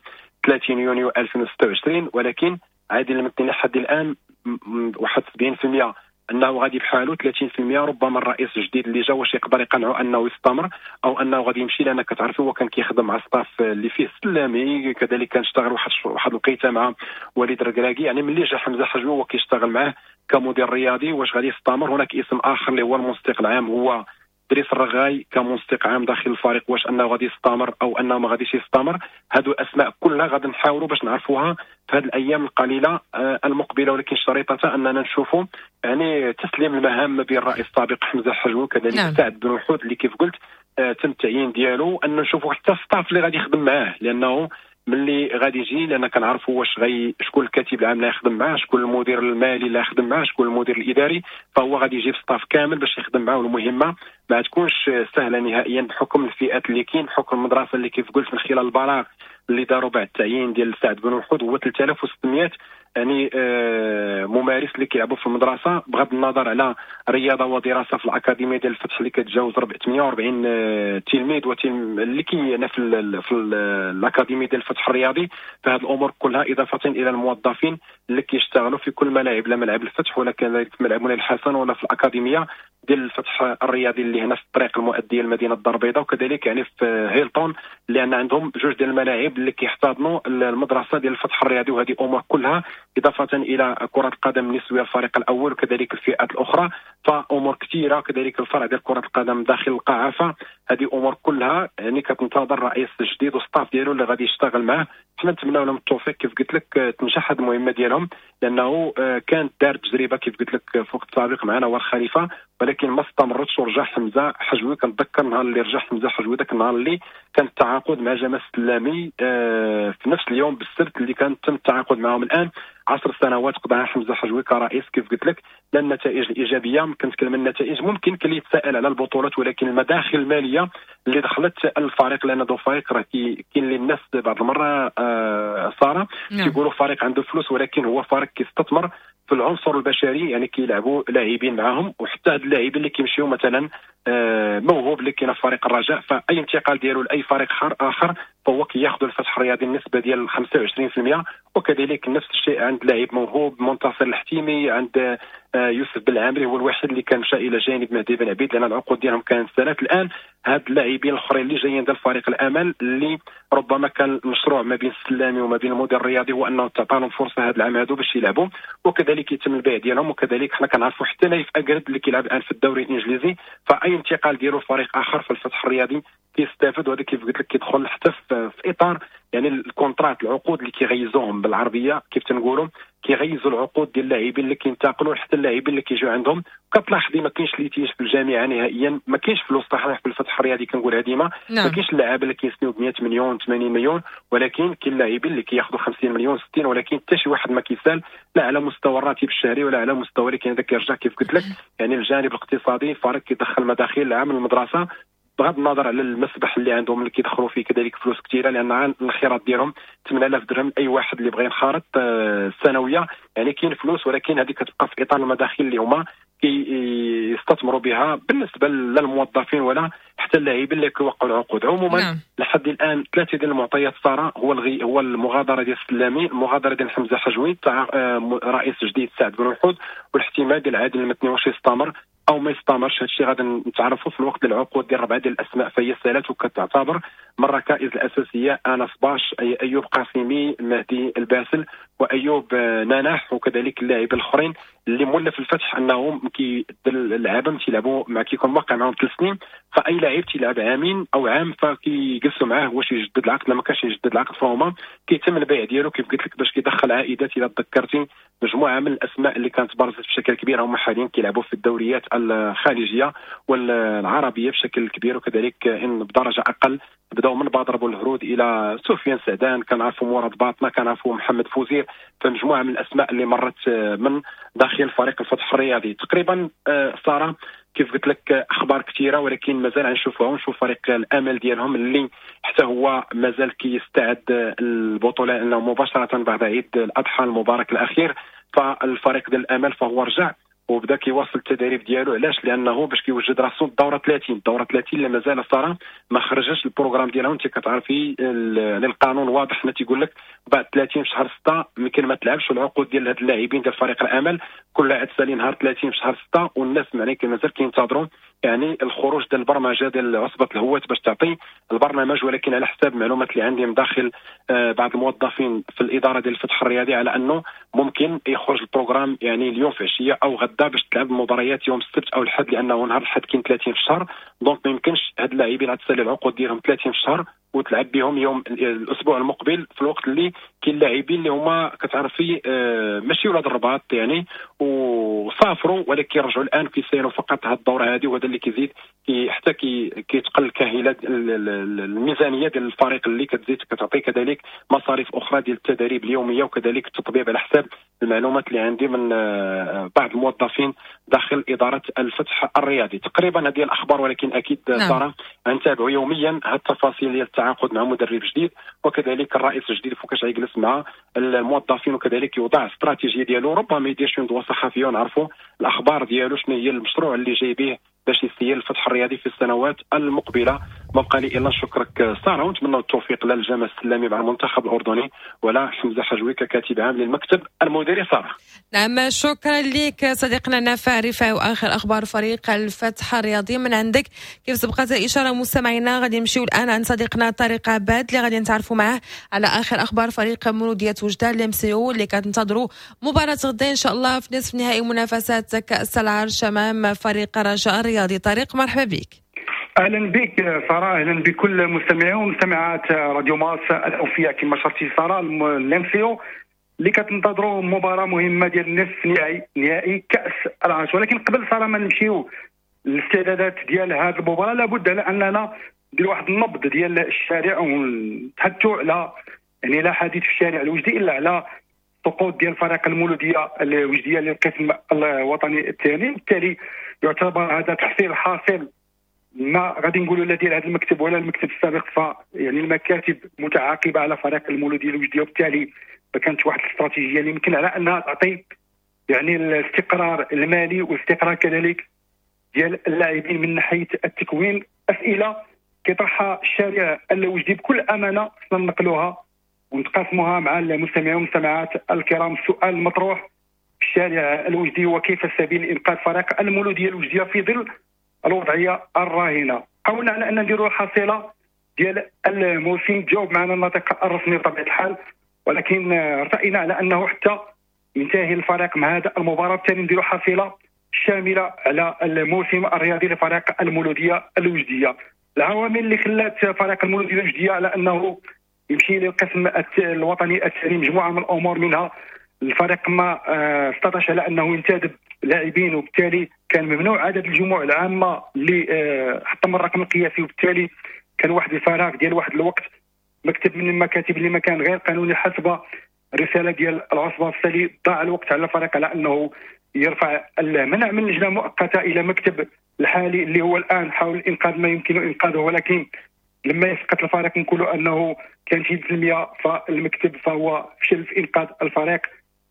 ثلاثين يونيو ألفين وستة وعشرين، ولكن عادل المتني لحد الان واحد سبعين بالمئة انه غادي بحاله ثلاثين بالمئة. ربما الرئيس الجديد اللي جا واش يقدر يقنعه انه يستمر او انه غادي يمشي، لان كتعرفوا هو كان كيخدم مع staff اللي فيه السلامي، كذلك كان اشتغل واحد واحد الوقيته مع وليد الركراكي. يعني ملي جا حمزة حجوي هو كيشتغل معاه كمدير رياضي، واش غادي يستمر؟ هناك اسم اخر اللي هو المنسق العام، هو دريس الرغاي كمنسق عام داخل الفريق، واش انه غادي يستمر او انه ما غاديش يستمر؟ هادو الاسماء كلها غادي نحاولوا باش نعرفوها في هذه الايام القليلة المقبلة، ولكن شريطه اننا نشوفوا يعني تسليم المهام ما بين الرئيس السابق حمزة حجوي وكذلك نعم. سعد بن وحود اللي كيف قلت تم التعيين ديالو، ان نشوفوا حتى staff اللي غادي يخدم معاه، لانه ملي غادي يجي لان كنعرفوا واش غي شكون الكاتب العام اللي يخدم معاه، شكون المدير المالي اللي يخدم معاه، شكون المدير الاداري، فهو غادي يجيب staff كامل باش يخدم معاه. المهمة ما تكونش سهلة نهائيا بحكم الفئات اللي كاين، بحكم المدرسة اللي كيف قلت من خلال البلاغ اللي داروا بعد التعيين ديال سعد بن وحود هو ثلاثة آلاف وستمائة يعني آه ممارس اللي كيلعبوا في المدرسة، بغض النظر على رياضة ودراسة في الاكاديمية ديال الفتح اللي كتجاوز ثمانية وأربعين آه تلميذ وتلم اللي كاين في ال في ال الاكاديمية ديال الفتح الرياضي. فهذه الامور كلها اضافه الى الموظفين اللي كيشتغلوا في كل ملاعب، لا ملعب الفتح ولا كذلك في ملعب مولاي الحسن ولا في الاكاديمية ديال الفتح الرياضي اللي هنا في الطريق المؤدية لمدينة الدار البيضاء، وكذلك يعني في هيلتون لان عندهم جوج ديال الملاعب اللي كيحتضنوا المدرسة ديال الفتح الرياضي. وهذه امور كلها اضافه الى كره القدم النسوية الفريق الاول وكذلك الفئات الاخرى، فامور كثيرة، كذلك الفرع ديال كره القدم داخل القاعة. فهذه امور كلها يعني كتنتظر الرئيس الجديد وال staff ديالو اللي غادي يشتغل معاه. حنا نتمناو لهم التوفيق كيف قلت لك، تنجح هذه المهمة ديالهم، لانه كانت دار تجربه كيف قلت لك في وقت سابق معنا هو الخليفة، ولكن ما استمرتش ورجع حمزة حجوي. كنتذكر النهار اللي رجع حمزة حجوي، ذاك النهار اللي كان التعاقد مع جمال السلامي في نفس اليوم بالسبت اللي كان تم التعاقد معهم. الان عشر سنوات قضاها حمزة حجوي كرئيس كيف قلت لك، لا النتائج الايجابية، كنتكلم النتائج ممكن كان يتساءل على البطولات، ولكن المداخل المالية اللي دخلت الفريق، لان دو فريق راه كاين اللي الناس بعض المرة آه ساره كيقولوا فريق عنده فلوس، ولكن هو فريق كيستثمر في العنصر البشري، يعني كيلعبوا لاعبين معاهم، وحتى هاد اللاعبين اللي كيمشيو مثلا آه موهوب اللي كاين في فريق الرجاء، فاي انتقال ديالو لاي فريق اخر فهو كياخذ الفتح الرياضي النسبة ديال خمسة وعشرين بالمئة، وكذلك نفس الشيء عند لاعب موهوب منتصر الحتيمي، عند يوسف بالعامري هو الوحيد اللي كان مشى الى جانب مهدي بن عبيد لان العقود ديالهم كانت سنوات. الان هاد اللاعبين الاخرين اللي جايين ديال فريق الامل اللي ربما كان المشروع ما بين السلامي وما بين المدير الرياضي هو انه تعطى لهم فرصة هذا العام هادو باش يلعبوا، وكذلك يتم البيع ديالهم. وكذلك حنا كنعرفوا حتى نايف اكرد اللي كيلعب الان في الدوري الانجليزي، فاي انتقال ديالو لفريق اخر في الفتح الرياضي كيستافد، وهذا كيف قلت لك كيدخل حتى في اطار يعني ال contrat، العقود اللي كيغيزوهم بالعربية كيف تنقولوا، كيغيزوا العقود ديال اللاعبين اللي كينتقلوا حتى اللاعبين اللي كيجيو عندهم. كتلاحظي ما كاينش litige في الجامعة نهائيا، ما كاينش فلوس صحيح في الفتح الرياضي كنقولها ديما، نعم. ما كاينش اللاعب اللي كيسنيو ب مئة مليون ثمانين مليون، ولكن كاين اللاعبين اللي كياخذوا خمسين مليون ستين، ولكن حتى شي واحد ما كيسال لا على مستوى الراتب الشهري ولا على مستوى اللي كاين. هذا كيرجع كيف قلت لك يعني الجانب الاقتصادي، الفريق كيدخل مداخيل العام المدرسة بغض النظر على المسبح اللي عندهم اللي كيدخلوا فيه كذلك فلوس كثيرة، لان الخيرات ديالهم ثمانية آلاف درهم اي واحد اللي بغى ينخرط السنوية، يعني كاين فلوس، ولكن هذه كتبقى في اطار المداخيل اللي هما كيستثمروا بها بالنسبة للموظفين ولا حتى اللاعبين اللي كيوقعوا العقود. عموما نعم. لحد الان ثلاثة ديال المعطيات ساره، هو الغي هو المغادرة ديال السلامي، المغادرة ديال حمزة حجوي تاع رئيس جديد سعد بن وحود، والاحتمال ديال عادل المتني واش يستمر او ما يستمرش. هادشي غادي نتعرفوا في الوقت العقود ديال ربعه ديال الاسماء فهي سالات، وكتعتبر من الركائز الاساسية انس باش، ايوب قاسمي، مهدي الباسل، وايوب ناناح، وكذلك اللاعبين الاخرين اللي مولف الفتح انهم كي اللعابه تيلعبوا مع كيكون موقع معاهم ثلاث سنين، فاي لاعب تيلعب عامين او عام فكيجلسوا معاه واش يجدد العقد، لما كانش يجدد العقد فهما كيتم البيع ديالو كيف قلت لك باش كيدخل عائدات. الى تذكرتي مجموعة من الاسماء اللي كانت برزت بشكل كبير هما حاليا كيلعبوا في الدوريات الخارجية والعربية بشكل كبير، وكذلك ان بدرجة اقل بداوا من بدر بولهرود الى سفيان سعدان، كنعرفوا مراد باطنه، كنعرفوا محمد فوزير، فمجموعه من الاسماء اللي مرت من داخل فريق الفتح الرياضي. تقريبا ساره كيف قلت لك اخبار كثيرة، ولكن مازال غنشوفوها ونشوف فريق الامل ديالهم اللي حتى هو مازال كيستعد البطولة، لانه مباشرة بعد عيد الاضحى المبارك الاخير فالفريق ديال الامل فهو رجع وبدا كيواصل التدريب ديالو. علاش؟ لانه باش كيوجد راسو الدورة ثلاثين، الدورة ثلاثين اللي مازال ساره ما خرجش ال programme ديالها، وانت كتعرفي القانون واضح حنا تيقول لك بعد ثلاثين في شهر ستة يمكن ما تلعبش، والعقود ديال هاد اللاعبين ديال فريق الامل كل لاعب سالي نهار ثلاثين في شهر ستة، والناس معني مازال كينتظروا يعني الخروج ديال البرمجة ديال عصبه الهواة باش تعطي البرنامج. ولكن على حساب المعلومات اللي عندي من داخل بعض الموظفين في الادارة ديال الفتح الرياضي على انه ممكن يخرج ال programme يعني اليوم في عشية او غدا باش تلعب المباريات يوم السبت او الحد، لانه نهار الحد كاين ثلاثين في الشهر، donc ما يمكنش هاد اللاعبين غتسالي العقود ديالهم ثلاثين في الشهر وتلعب بهم يوم الاسبوع المقبل، في الوقت اللي كاين لاعبين اللي هما كتعرفي ماشي ولاد الرباط يعني وسافروا ولكن رجعوا الان كيسيروا فقط هاد الدورة هذه، وهذا اللي كيزيد كي حتى كي كيتقل كاهله الميزانية ديال الفريق اللي كتزيد كتعطي كذلك مصاريف اخرى ديال التدريب اليومية وكذلك التطبيب على حساب المعلومات اللي عندي من بعض الموظفين داخل ادارة الفتح الرياضي. تقريبا هذه الاخبار، ولكن اكيد ساره نتابعوا يوميا هاد التفاصيل ديال التعاقد مع مدرب جديد وكذلك الرئيس الجديد فوقاش غيجلس مع الموظفين وكذلك يوضع استراتيجية ديالو، ربما يدير شي ندوه صحفية ونعرفوا الاخبار ديالو شنو هي المشروع اللي جاي به باش يسير الفتح الرياضي في السنوات المقبلة. ما بقى لي الا نشكرك ساره ونتمنى التوفيق لا لجمال السلامي مع المنتخب الاردني ولا حمزة حجوي ككاتب عام للمكتب المديري. ساره نعم، شكرا لك صديقنا نافع رفاعي واخر اخبار فريق الفتح الرياضي من عندك. كيف سبقت الاشارة مستمعينا غادي نمشيو الان عند صديقنا طارق عباد اللي غادي نتعرفوا معاه على اخر اخبار فريق مولوديه وجده الام سي او اللي كتنتظروا مباراة غدا ان شاء الله في نصف نهائي منافسات كاس العرش امام فريق الرجاء الرياضي. طارق مرحبا بك. اهلا بك ساره، اهلا بكل مستمعي ومستمعات راديو مارس الاوفياء. كما شرتي ساره، الام سي او اللي كتنتظروا مباراة مهمة ديال النصف نهائي نهائي كاس العرش. ولكن قبل ساره ما نمشيو للاستعدادات ديال هذه المباراة، لابد على اننا ندير واحد النبض ديال الشارع ونتحدثوا على يعني لا حديث في الشارع الوجدي الا على سقوط ديال فريق المولوديه الوجديه للقسم الوطني الثاني. بالتالي يعتبر هذا تحصيل حاصل ما غادي نقولوا لا ديال هذا المكتب ولا المكتب السابق، ف يعني المكاتب متعاقبه على فريق المولوديه الوجديه، وبالتالي ما كانت واحد الاستراتيجية اللي يمكن على انها تعطي يعني الاستقرار المالي والاستقرار كذلك ديال اللاعبين من ناحية التكوين. اسئلة كيطرحها الشارع الوجدي بكل امانه خصنا نقلوها ونتقاسموها مع المستمعين والمستمعات الكرام. السؤال المطروح في الشارع الوجدي هو كيف السبيل لانقاذ فريق المولوديه الوجديه في ظل الوضعية الراهنة؟ حاولنا على ان نديروا حصيله ديال الموسم، تجاوب معنا الناطق الرسمي بطبيعة الحال، ولكن ارتئينا على انه حتى ينتهي الفريق مع هذا المباراة بالتالي نديروا حصيله شاملة على الموسم الرياضي لفريق المولوديه الوجديه. العوامل اللي خلات فريق المولوديه الوجديه على انه يمشي للقسم الوطني الثاني مجموعة من الامور، منها الفريق ما آه، استطاعش على انه ينتدب لاعبين، وبالتالي كان ممنوع عدد الجموع العامة اللي آه، حطم الرقم القياسي، وبالتالي كان واحد الفراغ ديال واحد الوقت. مكتب من المكاتب اللي ما كان غير قانوني حسب الرسالة ديال العصبه، بالتالي ضاع الوقت على الفريق على انه يرفع المنع من لجنة مؤقتة الى مكتب الحالي اللي هو الان حاول انقاذ ما يمكن انقاذه. ولكن لما يسقط الفريق نقولوا انه كان شي بالمية فالمكتب فهو فشل في انقاذ الفريق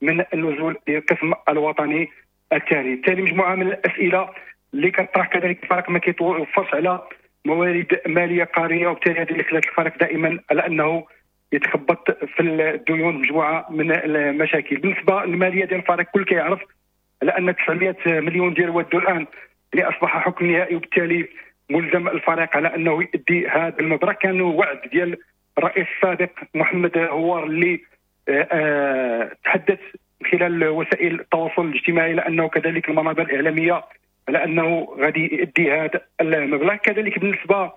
من النزول للقسم الوطني الثاني. بالتالي مجموعة من الاسئلة اللي كطرح، كذلك الفريق ما كيتوفرش على موارد ماليه قاريه، وبالتالي هذه اللي خلات الفريق دائما على انه يتخبط في الديون، مجموعة من المشاكل. بالنسبة للماليه ديال الفريق كل كيعرف على ان تسعمية مليون ديال ودوا الان اللي اصبح حكم نهائي، وبالتالي ملزم الفريق على انه يؤدي هذا المبلغ. كان وعد ديال الرئيس السابق محمد هوار اللي آه، آه، تحدث خلال وسائل التواصل الاجتماعي لانه كذلك المنابر الاعلامية على انه غادي يؤدي هذا المبلغ. كذلك بالنسبة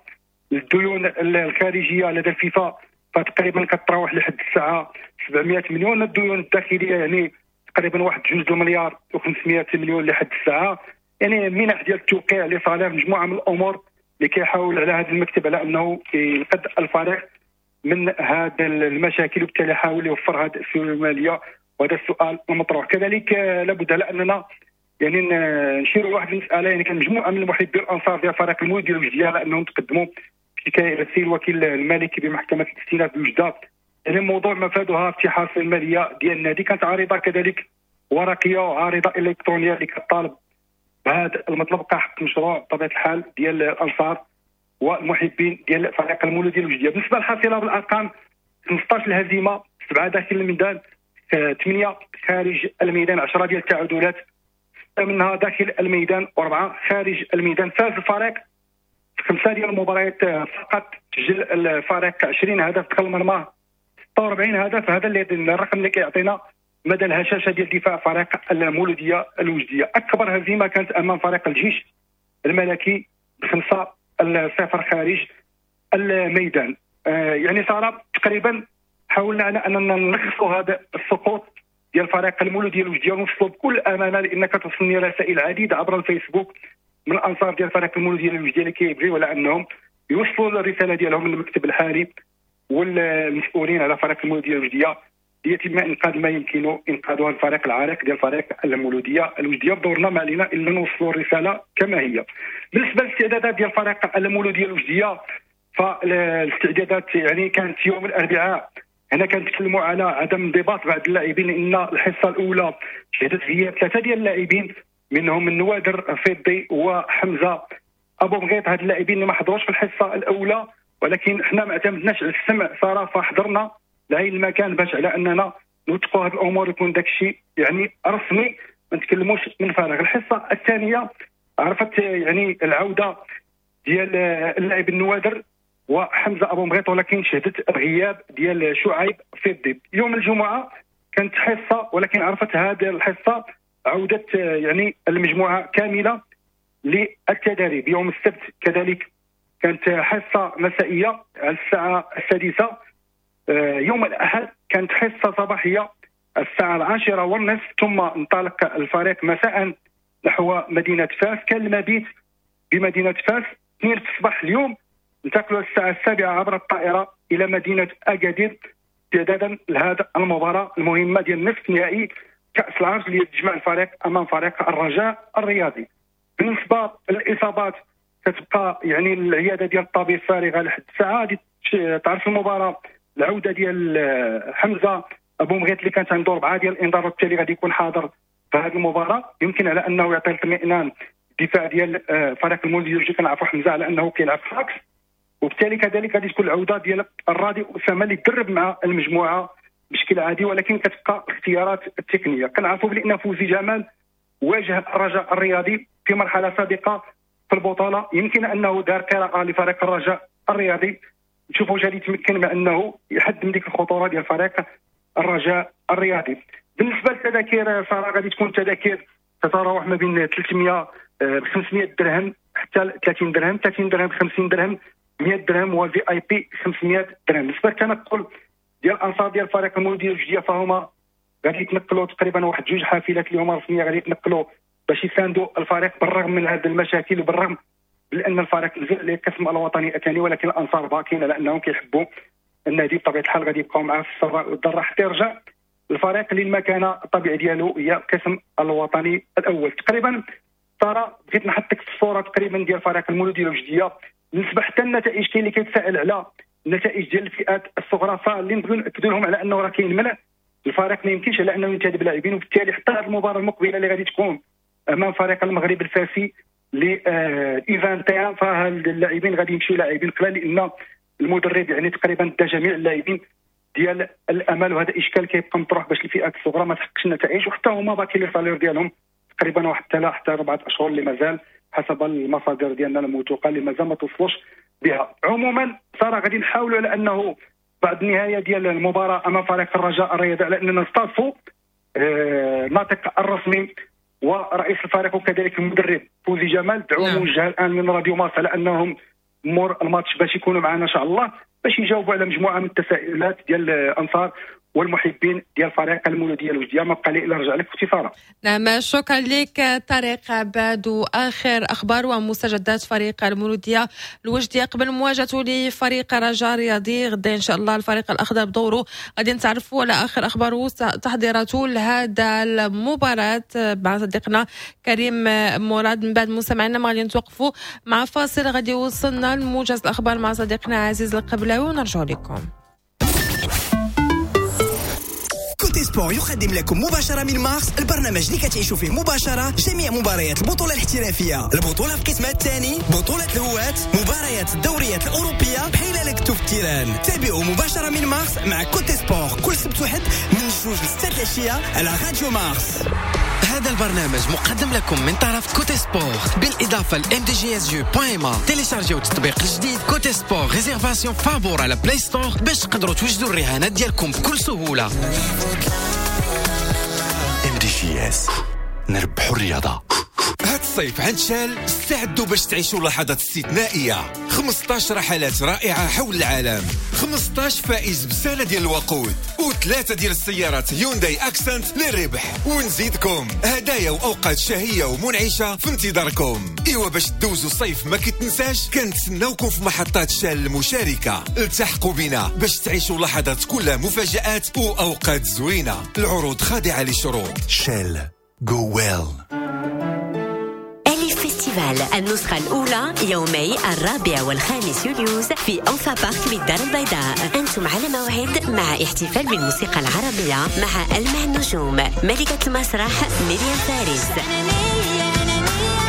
للديون الخارجية لدى الفيفا فتقريبا كتراوح لحد الساعة سبعمية مليون. الديون الداخلية يعني تقريبا واحد جوج المليار وخمسمية مليون لحد الساعه، يعني منح ديال التوقيع les salaires، مجموعة من الامور اللي كيحاول على هذا المكتب على انه ينقذ الفريق من هذا المشاكل، وبالتالي حاول يوفر هذه السيولة الماليه، وهذا السؤال المطروح. كذلك لابد على اننا يعني نشيروا لواحد المساله، يعني كان مجموعة من المحبين الانصار ديال فريق المولوديه الوجديه على انهم تقدموا شكاية الى السيد الوكيل المالكي بمحكمه الاستئناف بوجده، يعني موضوع مفادها افتحاص المالية ديال النادي. كانت عريضة كذلك ورقية وعارضه الكترونية اللي كطالب بهذا المطلب كحق مشروع بطبيعة الحال ديال الانصار والمحبين ديال فريق المولوديه الوجديه. بالنسبة للحصيله بالارقام، خمسطاش الهزيمة، سبعة داخل الميدان، ثمانية خارج الميدان، عشرة ديال التعادلات، ستة منها داخل الميدان واربعة خارج الميدان. فاز الفريق في خمسة ديال المباريات فقط، سجل الفريق عشرين هدف دخل مرماه ستة وأربعين هدف. هذا اللي الرقم اللي كيعطينا مدى الهشاشه ديال دفاع فريق المولوديه الوجديه. اكبر هزيمة كانت امام فريق الجيش الملكي بخمسة الصفر خارج الميدان. آه يعني صار تقريبا حاولنا على اننا نلخصوا هذا السقوط ديال فريق المولوديه الوجديه ونوصلوا بكل امانه، لان كتوصلني رسائل عديدة عبر الفيسبوك من الانصار ديال فريق المولوديه الوجديه اللي كيبغيو على انهم يوصلوا الرسالة ديالهم للمكتب الحالي والمسؤولين على فريق المولوديه الوجديه ليتم انقاذ ما يمكن انقاذها الفريق العريق ديال فريق المولوديه الوجديه. بدورنا ما علينا الا نوصلوا الرسالة كما هي. بالنسبة للاستعدادات ديال فريق المولوديه الوجديه، فالاستعدادات يعني كانت يوم الاربعاء. هنا كنتكلموا على عدم انضباط بعض اللاعبين، لان الحصة الاولى شهدت غياب ثلاثة ديال اللاعبين منهم النوادر فضي وحمزة ابو مغيط. هاد اللاعبين اللي ما حضروش في الحصة الاولى، ولكن حنا ما اعتمدناش على السمع صراحة، فحضرنا لعين المكان باش على اننا نوثقوا هاد الامور يكون داك الشيء يعني رسمي، ما نتكلموش من فراغ. الحصة الثانية عرفت يعني العودة ديال اللاعب النوادر وحمزة ابو مغيط، ولكن شهدت الغياب ديال شعيب فضي. يوم الجمعة كانت حصة، ولكن عرفت هذه الحصة عوده يعني المجموعة كاملة للتدريب. يوم السبت كذلك كانت حصة مسائية على الساعة السادسة. يوم الاحد كانت حصة صباحية الساعة العاشرة والنصف، ثم انطلق الفريق مساء نحو مدينة فاس. كان المبيت بمدينة فاس اثنين الصباح. اليوم انتقلوا الساعة السابعة عبر الطائرة الى مدينة اكادير استعدادا لهذا المباراة المهمة ديال نصف نهائي كاس العرش اللي يجمع الفريق امام فريق الرجاء الرياضي. بالنسبة للاصابات كتبقى يعني العيادة ديال الطبيب فارغة لحد الساعة. غادي تعرف المباراة العودة ديال حمزة ابو مغيط اللي كانت عنده اربعة ديال الانذار، وبالتالي غادي يكون حاضر في هذه المباراة. يمكن على انه يعطي الاطمئنان الدفاع ديال فريق المولوديه الوجديه. كنعرفوا حمزة على انه كيلعب في l'axe، وبالتالي كذلك غادي تكون العودة ديال الراضي اسامة اللي تدرب مع المجموعة بشكل عادي، ولكن كتبقى الاختيارات التقنية. كنعرفوا بان فوزي جمال واجه الرجاء الرياضي في مرحلة سابقه في البطولة، يمكن انه دار قراءة لفريق الرجاء الرياضي. نشوفوا واش غادي يتمكن من انه يحد من ديك الخطورة ديال فريق الرجاء الرياضي. بالنسبة للتذاكر صراحة غادي تكون التذاكر تتراوح ما بين ثلاثمية ب خمسمية درهم حتى ثلاثين درهم، ثلاثين درهم خمسين درهم، مية درهم، و VIP خمسمية درهم. بالنسبة للتنقل ديال الانصار ديال فريق المولوديه الوجديه فهما غادي يتنقلوا تقريبا واحد جوج حافلات اللي هما رسمية غادي يتنقلوا باش يساندوا الفريق بالرغم من هذه المشاكل وبالرغم لان الفريق نزل للقسم الوطني الثاني، ولكن الانصار باقين على انهم كيحبوا النادي بطبيعة الحال غادي يبقاو معاه في السراء والضراء حتى يرجع الفريق للمكانه الطبيعي ديالو هي القسم الوطني الاول. تقريبا ترى بغيت نحطك في الصورة تقريبا ديال فريق المولوديه الوجديه. بالنسبة حتى النتائج كاين اللي كيتساءل على النتائج ديال الفئات الصغرى، فاللي نبغيو ناكدوا لهم على انه راه كاين منع الفريق ما يمكنش على انه ينتدب لاعبين، وبالتالي حتى هذه المباراة المقبلة اللي غادي تكون امام فريق المغرب الفاسي ل ايفان فاللاعبين غادي يمشيو لاعبين قلال، لان المدرب يعني تقريبا دا جميع اللاعبين ديال الامل، وهذا اشكال كيبقى مطروح باش الفئات الصغرى ما تحققش النتائج، وحتى هما باقي les salaires ديالهم تقريبا واحد ثلاثة حتى اربعة اشهر اللي مازال حسب المصادر ديالنا الموثوقة اللي مازال ما توصلوش بها. عموما صراحة غادي نحاولوا على انه بعد النهاية ديال المباراة امام فريق الرجاء الرياضي على اننا نستضيفوا الناطق الرسمي ورئيس الفريق وكذلك المدرب فوزي جمال. دعوه موجهة الان من راديو مارس على انهم مور الماتش باش يكونوا معنا ان شاء الله باش يجاوبوا على مجموعة من التساؤلات ديال الانصار والمحبين ديال فريق المولوديه الوجديه. ما بقى لي الا نرجع لك اختي. نعم شكرا لك طارق عباد. واخر اخبار ومستجدات فريق المولوديه الوجديه قبل مواجهته لفريق رجاء رياضي غدا ان شاء الله. الفريق الاخضر بدوره غادي نتعرفوا على اخر اخباره وتحضيراته لهذا المباراة مع صديقنا كريم مراد. من بعد مستمعينا ما غادي نتوقفوا مع فاصل غادي يوصلنا لموجز الاخبار مع صديقنا عزيز القبلاوي ونرجع لكم. Cote Sport يقدم لكم مباشرة من مارس البرنامج اللي كتعيشوا فيه مباشرة جميع مباريات البطولة الاحترافية، البطولة في قسمها الثاني، بطولة الهواة، مباريات الدوريات الأوروبية بحال لكتو في ال terrain. تابعوا مباشرة من مارس مع Cote Sport كل سبت وحد من جوج لستة العشية على راديو مارس. هذا البرنامج مقدم لكم من طرف Cote Sport بالإضافة ل إم دي جي إس يو دوت إم إيه. تيليشارجيو التطبيق الجديد Cote Sport réservation فابور على Play Store باش تقدروا توجدوا الرهانات ديالكم بكل سهولة. إم دي جي إس نربحوا الرياضة. هاد الصيف عند Shell استعدوا باش تعيشوا لحظات استثنائية. خمسطاش رحلات رائعة حول العالم، خمسطاش فائز بسنة ديال الوقود، وثلاثة ديال السيارات Hyundai Accent للربح، ونزيدكم هدايا وأوقات شهية ومنعشة في انتظاركم. إيوا باش تدوزوا الصيف ما كتنساش، كنتسناوكم في محطات Shell المشاركة. التحقوا بنا باش تعيشوا لحظات كلها مفاجآت وأوقات زوينة. العروض خاضعة للشروط. Shell go well. النسخة الأولى يومي الرابع والخامس يوليوز في أنفا بارك بالدار البيضاء. أنتم على موعد مع احتفال بالموسيقى العربية مع ألمع النجوم، ملكة المسرح مريم فارس،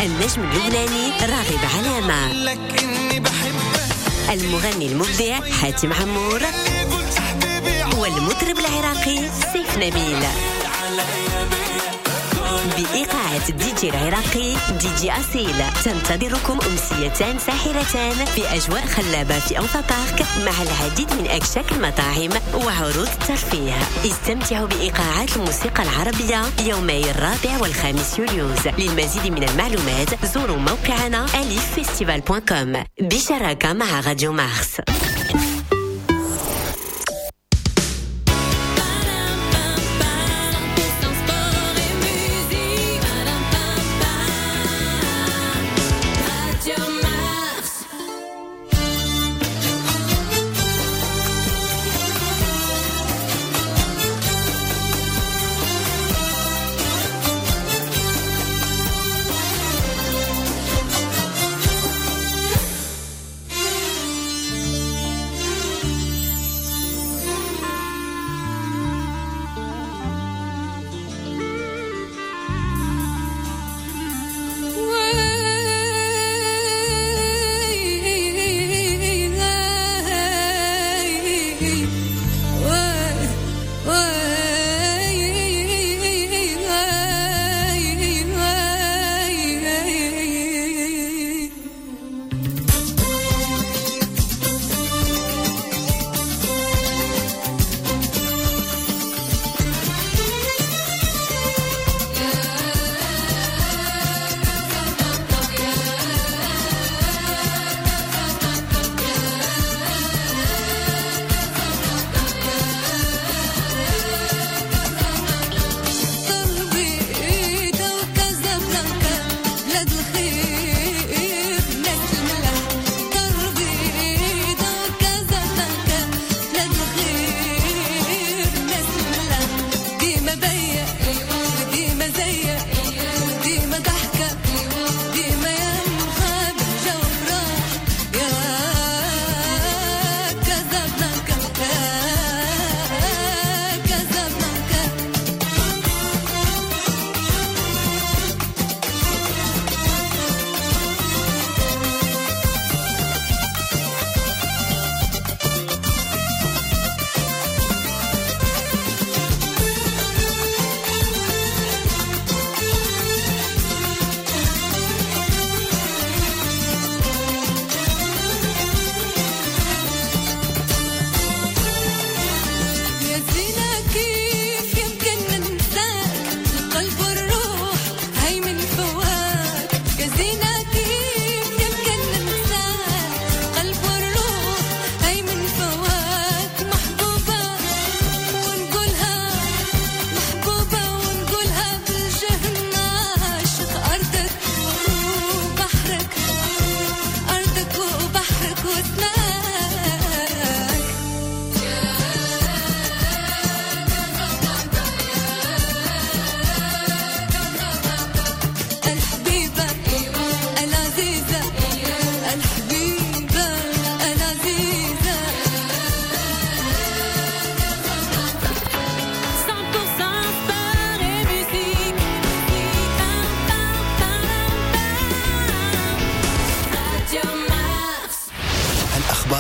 النجم اللبناني راغب علامة، المغني المبدع حاتم عمور، والمطرب العراقي سيف نبيل، بإيقاعات الدي جي العراقي دي جي أصيل. تنتظركم أمسيتان ساحرتان في أجواء خلابة في أنفا بارك مع العديد من أكشاك المطاعم وعروض الترفيه. استمتعوا بإيقاعات الموسيقى العربية يومي الرابع والخامس يوليوز. للمزيد من المعلومات زوروا موقعنا ألف فيستيفال دوت كوم بشراكة مع راديو مارس. We'll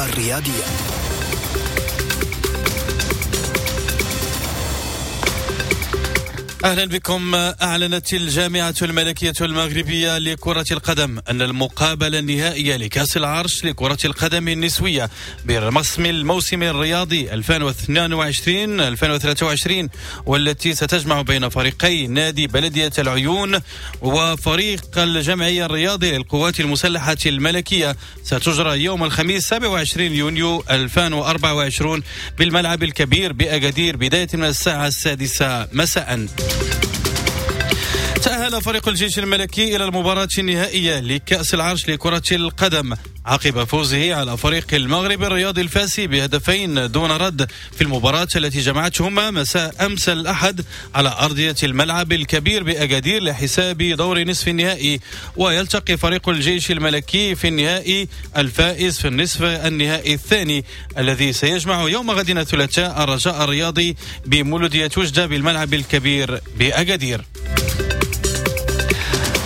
الأخبار الرياضية. أهلا بكم. أعلنت الجامعة الملكية المغربية لكرة القدم أن المقابلة النهائية لكأس العرش لكرة القدم النسوية برسم الموسم الرياضي ألفين واثنين وعشرين ألفين وثلاثة وعشرين والتي ستجمع بين فريقي نادي بلدية العيون وفريق الجمعية الرياضي للقوات المسلحة الملكية ستجرى يوم الخميس سبعة وعشرين يونيو ألفين وأربعة وعشرين بالملعب الكبير بأكادير بداية من الساعة السادسة مساء. تأهل فريق الجيش الملكي إلى المباراة النهائية لكأس العرش لكرة القدم عقب فوزه على فريق المغرب الرياضي الفاسي بهدفين دون رد في المباراة التي جمعتهما مساء أمس الأحد على أرضية الملعب الكبير بأكادير لحساب دور نصف النهائي. ويلتقي فريق الجيش الملكي في النهائي الفائز في النصف النهائي الثاني الذي سيجمع يوم غد الثلاثاء الرجاء الرياضي بمولودية وجدة بالملعب الكبير بأكادير.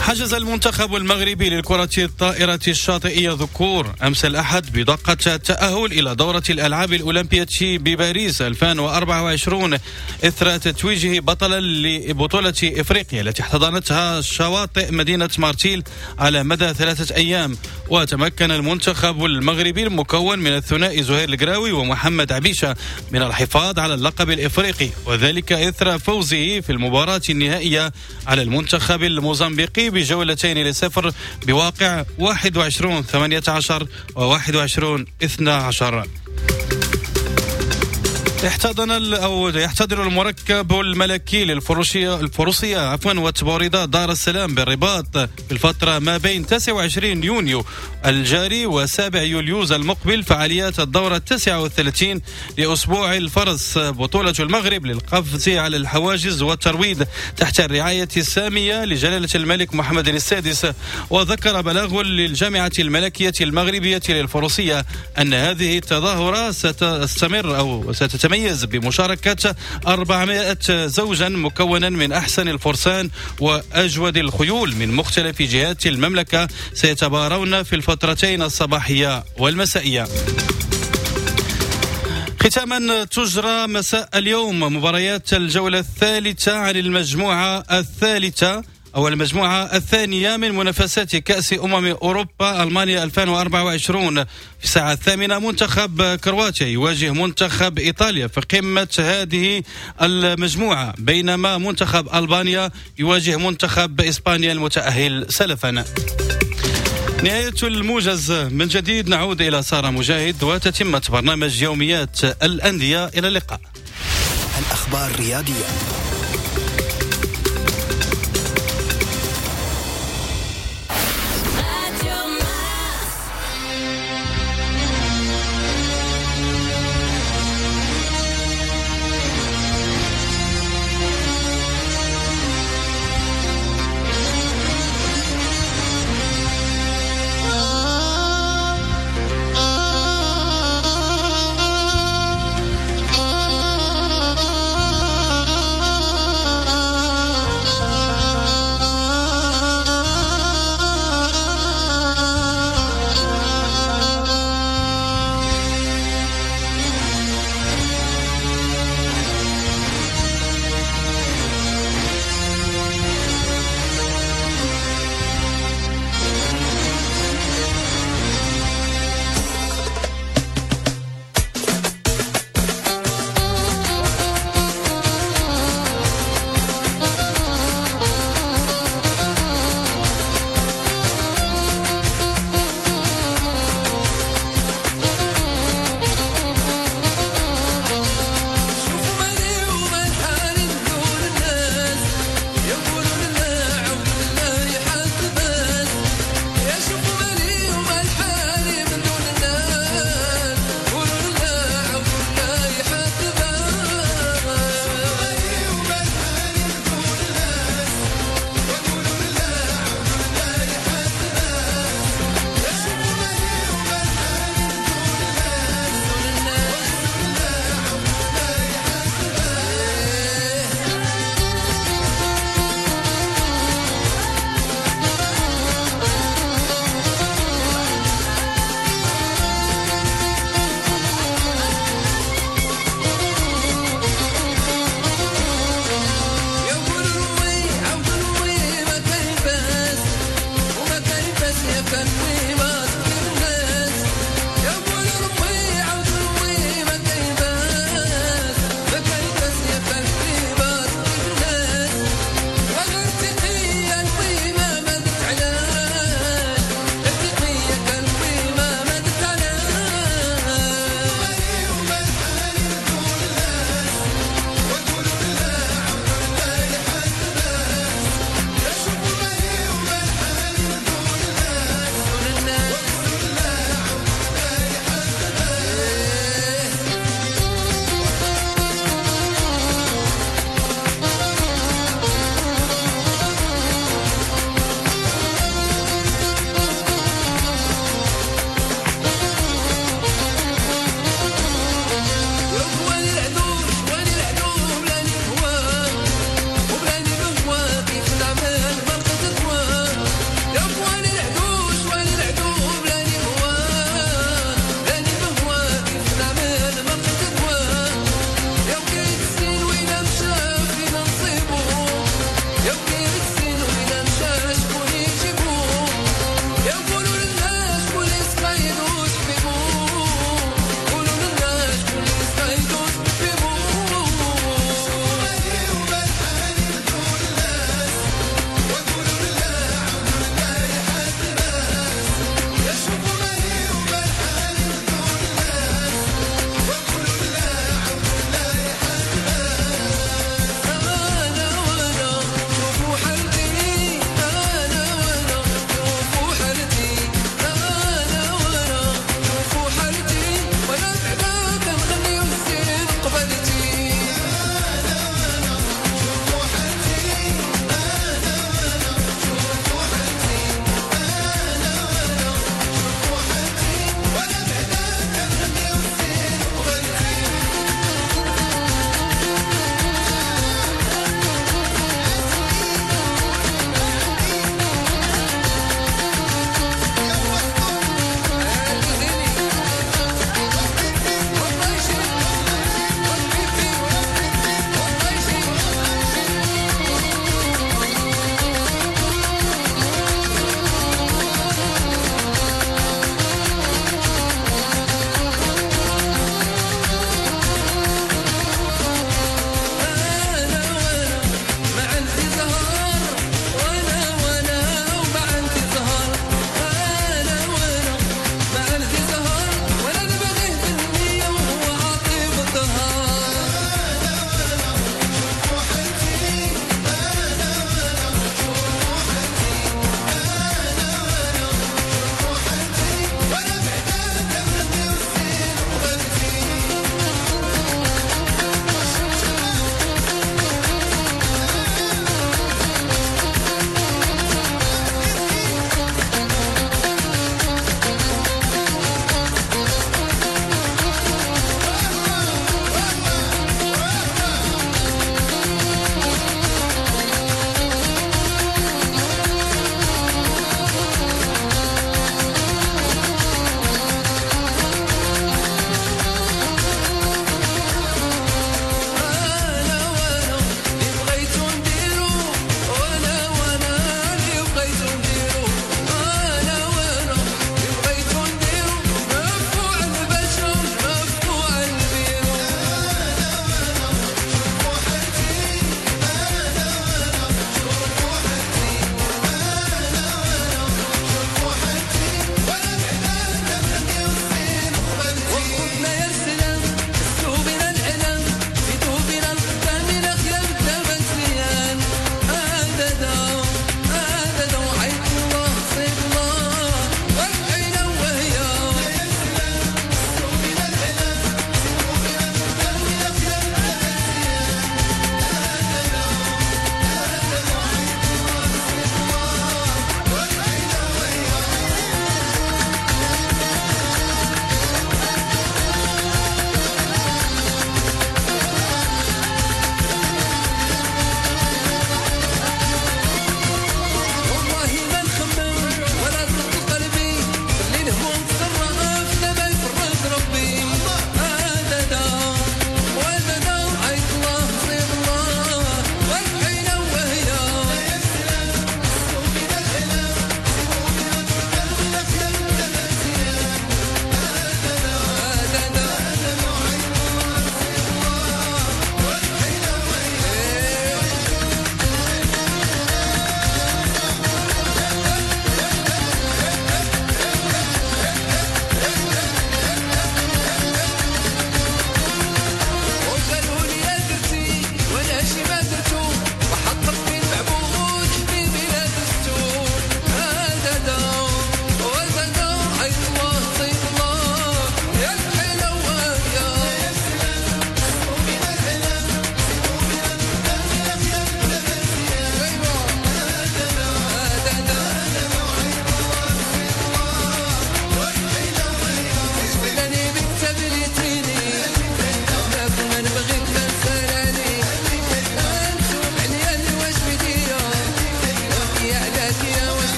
حجز المنتخب المغربي للكرة الطائرة الشاطئية ذكور أمس الأحد بطاقة التأهل إلى دورة الألعاب الأولمبية بباريس ألفين وأربعة وعشرين إثر تتويجه بطلا لبطولة إفريقيا التي احتضنتها شواطئ مدينة مارتيل على مدى ثلاثة أيام. وتمكن المنتخب المغربي المكون من الثنائي زهير القراوي ومحمد عبيشة من الحفاظ على اللقب الإفريقي، وذلك إثر فوزه في المباراة النهائية على المنتخب الموزمبيقي بجولتين لصفر بواقع واحد وعشرين ثمانية عشر وواحد وعشرين اثنا عشر. احتضن أو يحتضن المركب الملكي للفروسية الفروسية عفوا والتبوريدة دار السلام بالرباط في الفترة ما بين تسعة وعشرين يونيو الجاري وسابع يوليوز المقبل فعاليات الدورة التاسعة والثلاثين لأسبوع الفرس بطولة المغرب للقفز على الحواجز والترويض تحت الرعاية السامية لجلالة الملك محمد السادس. وذكر بلاغ للجامعة الملكية المغربية للفروسية أن هذه التظاهرة ستستمر أو ستتميز بمشاركة أربعمائة زوجا مكونا من أحسن الفرسان وأجود الخيول من مختلف جهات المملكة سيتبارون في الفترتين الصباحية والمسائية. ختاما تجرى مساء اليوم مباريات الجولة الثالثة عن المجموعة الثالثة أو المجموعة الثانية من منافسات كأس أمم أوروبا ألمانيا ألفين وأربعة وعشرين. في الساعة الثامنة منتخب كرواتيا يواجه منتخب إيطاليا في قمة هذه المجموعة، بينما منتخب ألبانيا يواجه منتخب إسبانيا المتأهل سلفا. نهاية الموجز من جديد، نعود إلى سارة مجاهد وتتمة برنامج يوميات الأندية. إلى اللقاء. الأخبار الرياضية. Oh.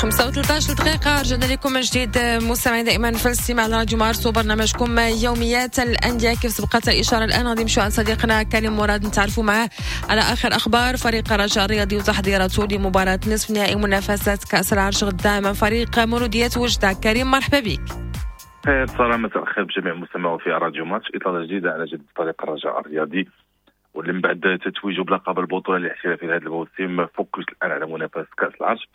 خمسة وثلاثين دقيقة رجعنا لكم من جديد مستمعين دائما في الاستماع على راديو مارس وبرنامجكم يوميات الأندية. كيف سبقت الإشارة الآن غادي نمشيو عند صديقنا كريم مراد نتعرفوا معاه على آخر أخبار فريق الرجاء الرياضي وتحضيراته لمباراة نصف نهائي منافسات كأس العرش غدا أمام فريق مولودية وجدة. كريم مرحبا بك. خير سلام، مساء الخير بجميع المستمعين في راديو مارس. إطلالة جديدة على جديد فريق الرجاء الرياضي واللي من بعد تتويجه بلقب البطولة الاحترافية لهذا الموسم focus الآن على منافسة كأس العرش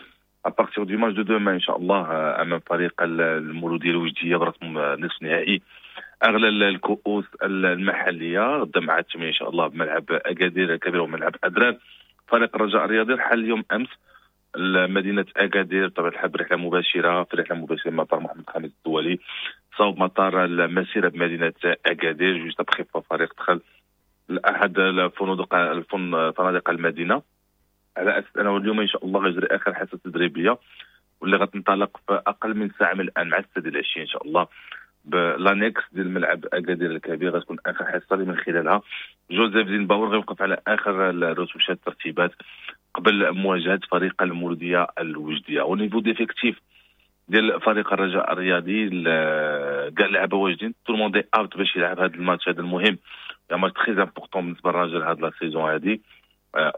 à partir du match de demain ان شاء الله امام فريق المولوديه الوجديه برسم نصف نهائي اغلى الكؤوس المحلية غدا مع الثمانية ان شاء الله بملعب اكادير الكبير وملعب ادرار. فريق الرجاء الرياضي رحل اليوم امس لمدينة اكادير بطبيعة الحال برحله مباشرة، في رحله مباشرة من مطار محمد الخامس الدولي صوب مطار المسيرة بمدينة اكادير. juste après فريق دخل لاحد الفنادق فنادق المدينة على اساس انه اليوم ان شاء الله غيجري اخر حصة تدريبية واللي غتنطلق في اقل من ساعة من الان مع السادسة العشرين ان شاء الله ب l'annexe ديال ملعب اكادير الكبير. غتكون اخر حصة اللي من خلالها جوزيف زينباور غيوقف على اخر الرتوشات الترتيبات قبل مواجهة فريق المولوديه الوجديه. au niveau d'effectif ديال فريق الرجاء الرياضي كاع اللعابه واجدين، tout le monde est apte باش يلعب هذا الماتش هذا المهم، match très important بالنسبة للرجاء هاد la saison هادي.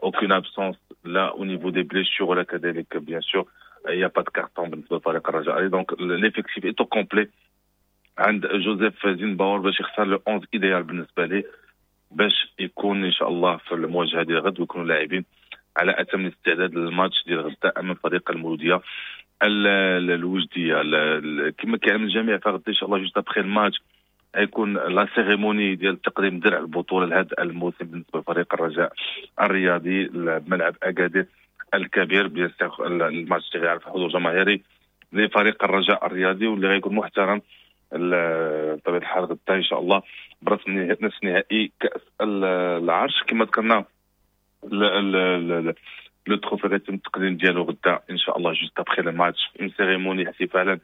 aucune absence là au niveau des blessures ولا كذلك bien sûr il y a pas de carton بالنسبة لفريق الرجاء. donc l'effectif est au complet عند جوزيف زينباور باش يختار le onze idéal بالنسبة ليه باش يكون ان شاء الله في المواجهة ديال غد ويكونوا لاعبين على اتم الاستعداد للماتش ديال غدا امام فريق المولوديه الوجديه. كما كيعلم الجميع فغدا ان شاء الله juste après الماتش غيكون la cérémonie ديال تقديم درع البطولة لهذا الموسم بالنسبة لفريق الرجاء الرياضي بملعب اكادير الكبير. bien sûr الماتش اللي غيعرف حضور جماهيري لفريق الرجاء الرياضي واللي غيكون محترم بطبيعة الحال غدا ان شاء الله برسم نصف نهائي كاس العرش. كما ذكرنا le trophée غيتم التقديم ديالو غدا ان شاء الله juste après le match، une cérémonie احتفالا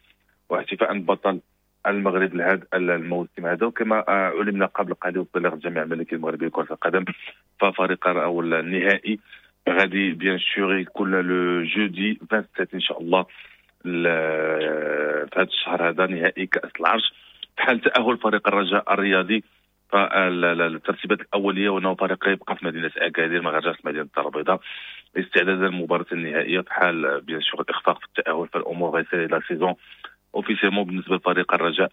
واحتفاء بطل المغرب لهذا الموسم هذا. وكما علمنا قبل قليل وبلغ الجامعة الملكية المغربية لكرة القدم ففريق او النهائي غادي bien sûr يكون le jeudi سبعة وعشرين ان شاء الله في هذا الشهر هذا نهائي كاس العرش، في حال تاهل فريق الرجاء الرياضي. فالترتيبات الاولية وانه فريق يبقى في مدينة اكادير، ما غيرجعش مدينة الدار البيضاء استعدادا للمباراة النهائيه. في حال bien sûr الاخفاق في التاهل، فالامور غيسالي la saison officiellement بالنسبة لفريق الرجاء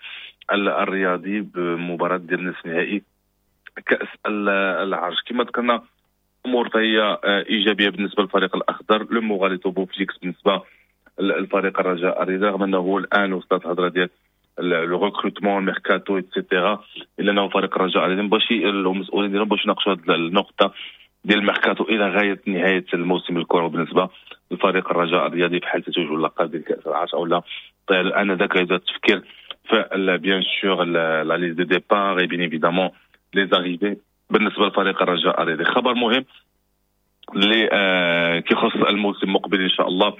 الرياضي بمباراة ديال نصف نهائي كاس العرش. كما ذكرنا، امور فهي ايجابية بالنسبة للفريق الاخضر، le moral est au beau fixe بالنسبة للفريق الرجاء الرياضي، رغم انه الان وصلت الهضرة ديال le recrutement، mercato et cetera، الا انه فريق الرجاء الرياضي باش المسؤولين ديالهم باش يناقشوا هذه النقطة ديال الميركاتو الى غاية نهاية الموسم الكروي بالنسبة لفريق الرجاء الرياضي، في حال تتويج اللقب ديال كاس العرش او لا. طيب، الان ذاك يبدا التفكير في bien sûr la liste de départs et bien évidemment les arrivées بالنسبة لفريق الرجاء الرياضي. خبر مهم اللي آه كيخص الموسم المقبل ان شاء الله،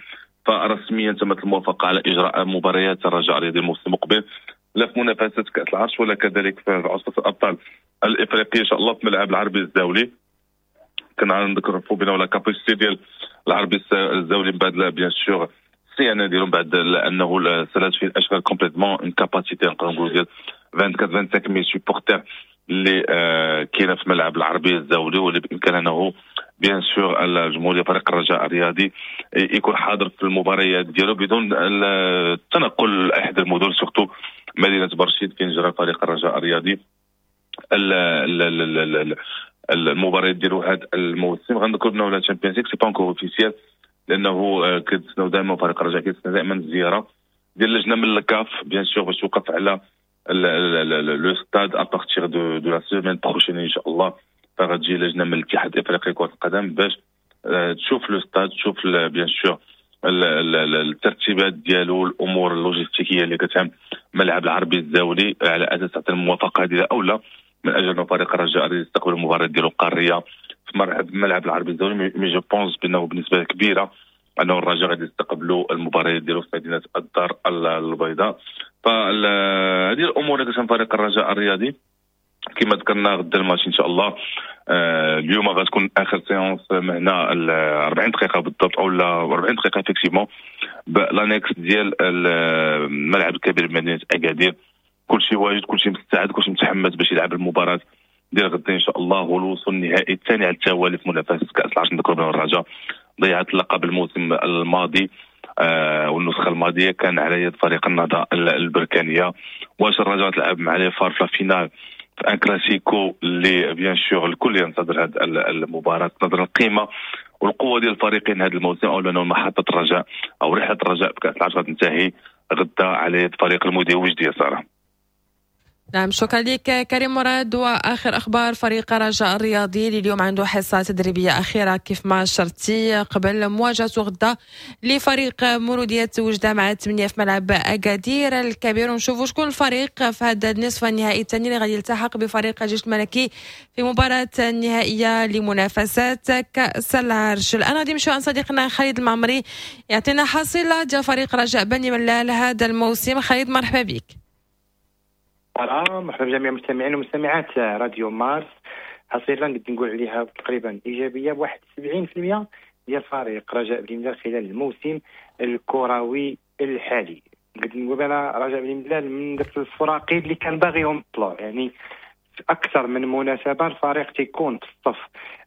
فرسميا تمت الموافقة على اجراء مباريات الرجاء الرياضي الموسم المقبل، لا في منافسه كاس العرش ولا كذلك في عصبه الابطال الافريقيه، ان شاء الله في ملعب العربي الزاولي. كنا نذكروا بان la capacité ديال العربي الزاولي من بعد bien sûr الصيانة ديالهم، بعد انه سالات فيه الاشغال complètement، une capacité نقدر نقولوا ديال أربعة وعشرين خمسة وعشرين mille supporters اللي آه كاينه في ملعب العربي الزاولي، واللي بامكان انه bien sûr الجمهور ديال فريق الرجاء الرياضي يكون حاضر في المباريات ديالو بدون التنقل لاحد المدن، surtout مدينة برشيد فين جرى فريق الرجاء الرياضي المباريات ديالو هذا الموسم. غنذكر انه la Champions League c'est pas encore officiel، لانه آه، كيتسناو دائما، فريق الرجاء كيتسنى دائما الزيارة ديال اللجنة من الكاف bien sûr باش توقف على le stade à partir de de la semaine prochaine ان شاء الله. فغتجي لجنة من الاتحاد الافريقي لكرة القدم باش آه، تشوف le stade، تشوف bien sûr الترتيبات ديالو، الامور اللوجستيكيه اللي كتهم ملعب العربي الزاولي، على اساس تعطي الموافقة ديالها او لا، من اجل ان فريق الرجاء يستقبل المباراة ديالو القارية في ملعب العربي الزاولي. mais je pense بانه بنسبة كبيرة انه الرجاء غادي يستقبلوا المباريات ديالو في مدينة الدار البيضاء. فهذه الامور اللي كتهم فريق الرجاء الرياضي. كما ذكرنا، غدا الماتش ان شاء الله. آه اليوم غتكون اخر séance هنا، أربعين دقيقة بالضبط او لا أربعين دقيقة effectivement ب l'annexe ديال الملعب الكبير بمدينة اكادير. كل شيء واجد، كل شيء مستعد، كل شيء متحمس باش يلعب المباراة ديال غدا ان شاء الله، والوصول النهائي الثاني على التوالي في منافسه كاس العرش. نذكر بان الرجاء ضيعت اللقب الموسم الماضي آه والنسخة الماضية كان على يد فريق النهضة البركانيه. واش الرجاء تلعب مع les FAR في la finale، في un classico اللي bien sûr الكل ينتظر هذه المباراه، نظرا القيمة والقوه ديال الفريقين هذا الموسم، او لانه محطة الرجاء او رحله الرجاء بكاس العرش غتنتهي غدا على يد فريق المولوديه الوجديه، ساره. نعم، شكرا لك كريم مراد. واخر اخبار فريق رجاء الرياضي اللي اليوم عنده حصة تدريبية اخيرة كيف ما شرتي قبل مواجهته غدا لفريق مولوديه وجده مع ثمانية في ملعب اكادير الكبير، ونشوفوا شكون الفريق في هذا النصف النهائي الثاني اللي غادي يلتحق بفريق الجيش الملكي في مباراة النهائية لمنافسات كاس العرش. الان غادي نمشيو عند صديقنا خالد المعمري يعطينا حصيله ديال فريق رجاء بني ملال هذا الموسم. خالد، مرحبا بك. مرحبا بجميع المستمعين ومستمعات راديو مارس. حصيلة نقدر نقول عليها تقريبا ايجابية بواحد سبعين في المية ديال فريق رجاء بني ملال خلال الموسم الكروي الحالي. نقدر نقول انا رجاء بني ملال من داك الفراقي اللي كان باغيهم الطلوع، يعني في اكثر من مناسبة الفريق تيكون في الصف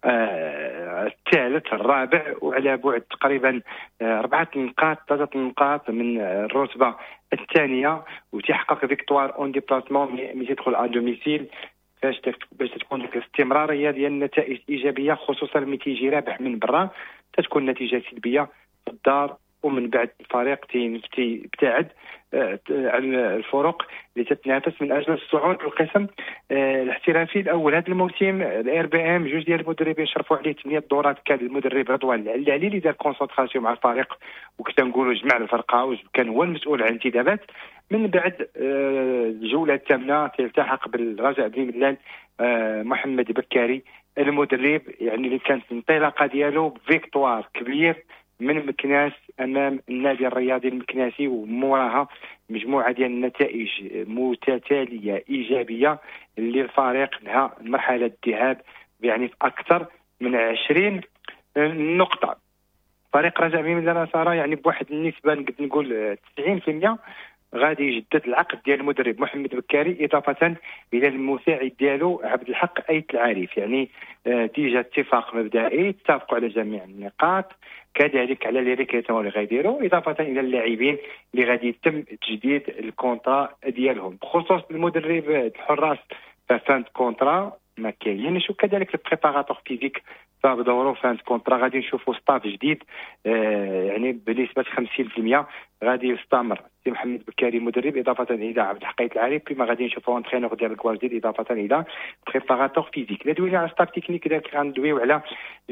آه الثالث الرابع وعلى بعد تقريبا آه اربعة نقاط، ثلاثة نقاط من الرتبة الثانيه، وتيحقق victoire en déplacement ملي تيدخل à domicile، باش باش تكون ديك الاستمرارية ديال النتائج الايجابيه، خصوصا ملي تيجي رابح من برا تتكون نتيجة سلبية في الدار، ومن بعد الفريق تيبتعد آه، عن الفرق اللي تتنافس من اجل الصعود للقسم آه، الاحترافي الاول. هذا الموسم ال RBM جوج ديال المدربين شرفوا عليه ثمانية دورات. كان المدرب رضوان العلالي اللي دار concentration مع الفريق وكنت نقولوا جمع الفرقة وكان هو المسؤول عن الانتدابات. من بعد آه، الجولة الثامنة تلتحق بالرجاء بن ملال محمد بكاري المدرب، يعني اللي كانت الانطلاقة ديالو victoire كبير من مكناس امام النادي الرياضي المكناسي، وموراها مجموعة ديال النتائج متتالية ايجابية اللي الفريق نهى مرحلة الذهاب يعني في اكثر من عشرين النقطة. فريق رجاء بني ملال ساره يعني بواحد النسبة نقدر نقول تسعين بالمية غادي يجدد العقد ديال المدرب محمد بكاري، اضافه الى المساعد ديالو عبد الحق ايت العارف. يعني déjà اتفاق مبدئي، اتفقوا على جميع النقاط، كذلك على les recrutements اللي غيديروا، اضافه الى اللاعبين اللي غادي يتم تجديد ال contrat ديالهم. بخصوص المدرب الحراس ف fin de contrat ما كاينش، وكذلك ال préparateur physique فبدورو fin de contrat. غادي نشوفوا staff جديد آه يعني بنسبة خمسين بالمية غادي يستمر سي محمد بكاري مدرب، اضافه الى عبد الحق ايت العارف، كما غادي نشوفوا entraîneur ديال ال gardiens اضافه الى préparateur physique. لا دوينا على staff technique، داك غندويو على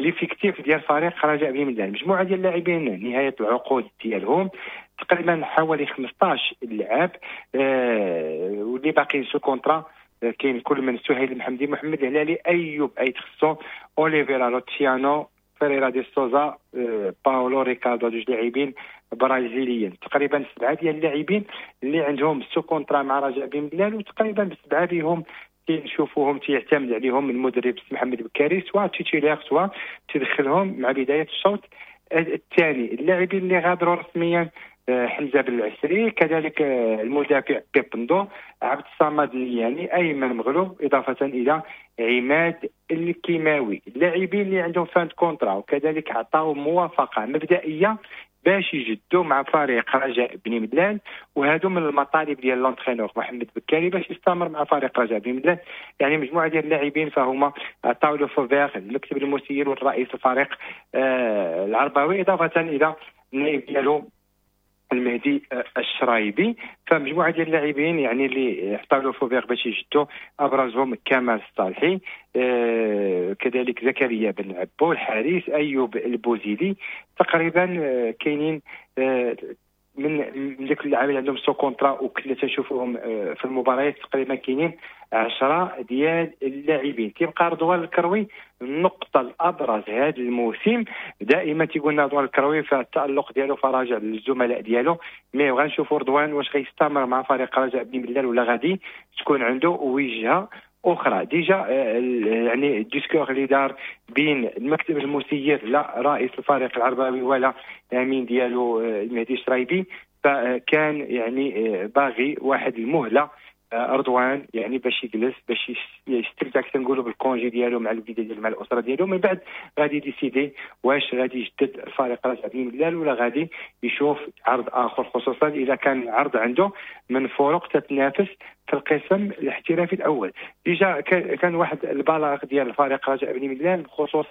l'effectif ديال فريق رجاء بني ملال. مجموعة ديال اللاعبين نهاية العقود ديالهم تقريبا حوالي خمسطاش لاعب آه واللي باقيين sous contrat كاين كل من سهيل المحمدي، محمد الهلالي، ايوب ايت خصو، اوليفيرا لوتشيانو، فيريرا دي سوزا، باولو ريكاردو، جوج لاعبين برازيليين. تقريبا سبعة ديال اللاعبين اللي عندهم sous contrat مع رجاء بن ملال، وتقريبا بسبعة بهم تنشوفوهم تيعتمد عليهم المدرب محمد بكاري، سواء titulaire سواء تدخلهم مع بداية الشوط الثاني. اللاعبين اللي غادروا رسميا حمزة بن العسري، كذلك المدافع بيبندو، عبد الصمد النياني، ايمن مغلوب، اضافه الى عماد الكيماوي. اللاعبين اللي عندهم fin de contrat وكذلك عطاو موافقة مبدئية باش يجدوا مع فريق رجاء بني ملال، وهادو من المطالب ديال l'entraîneur محمد بكاري باش يستمر مع فريق رجاء بني ملال. يعني مجموعة ديال اللاعبين فهما عطاو le feu vert المكتب المسير والرئيس الفريق آه العرباوي، اضافه الى النائب ديالو المهدي الشرايبي. فمجموعه ديال اللاعبين يعني اللي عطاو le feu vert باش يجدوا، ابرزهم كمال الصالحي، آه كذلك زكريا بن عبو الحارس، ايوب البوزيدي. تقريبا آه كاينين آه من من ديك اللاعبين عندهم sous contrat وكنا تنشوفوهم آه في المباريات، تقريبا كاينين عشرة ديال اللاعبين. كيبقى رضوان الكروي النقطة الأبرز هذا الموسم، دائما تيقولنا رضوان الكروي فالتألق ديالو فراجع للزملاء ديالو، mais غنشوفوا رضوان واش غيستمر مع فريق رجاء بني ملال ولا غادي تكون عنده وجهة أخرى. déjà يعني ال discours اللي دار بين المكتب المسير لا رئيس الفريق العرباوي ولا الأمين ديالو المهدي الشرايبي، فكان يعني باغي واحد المهلة رضوان يعني باش يجلس باش يستمتع كما نقولوا بال congé ديالو مع الوليدة ديالو مع الاسرة ديالو، من بعد غادي décider واش غادي يجدد الفريق رجاء بني ملال ولا غادي يشوف عرض اخر، خصوصا اذا كان عرض عنده من فرق تتنافس في القسم الاحترافي الاول. déjà كان واحد البلاغ ديال الفريق رجاء بني ملال بخصوص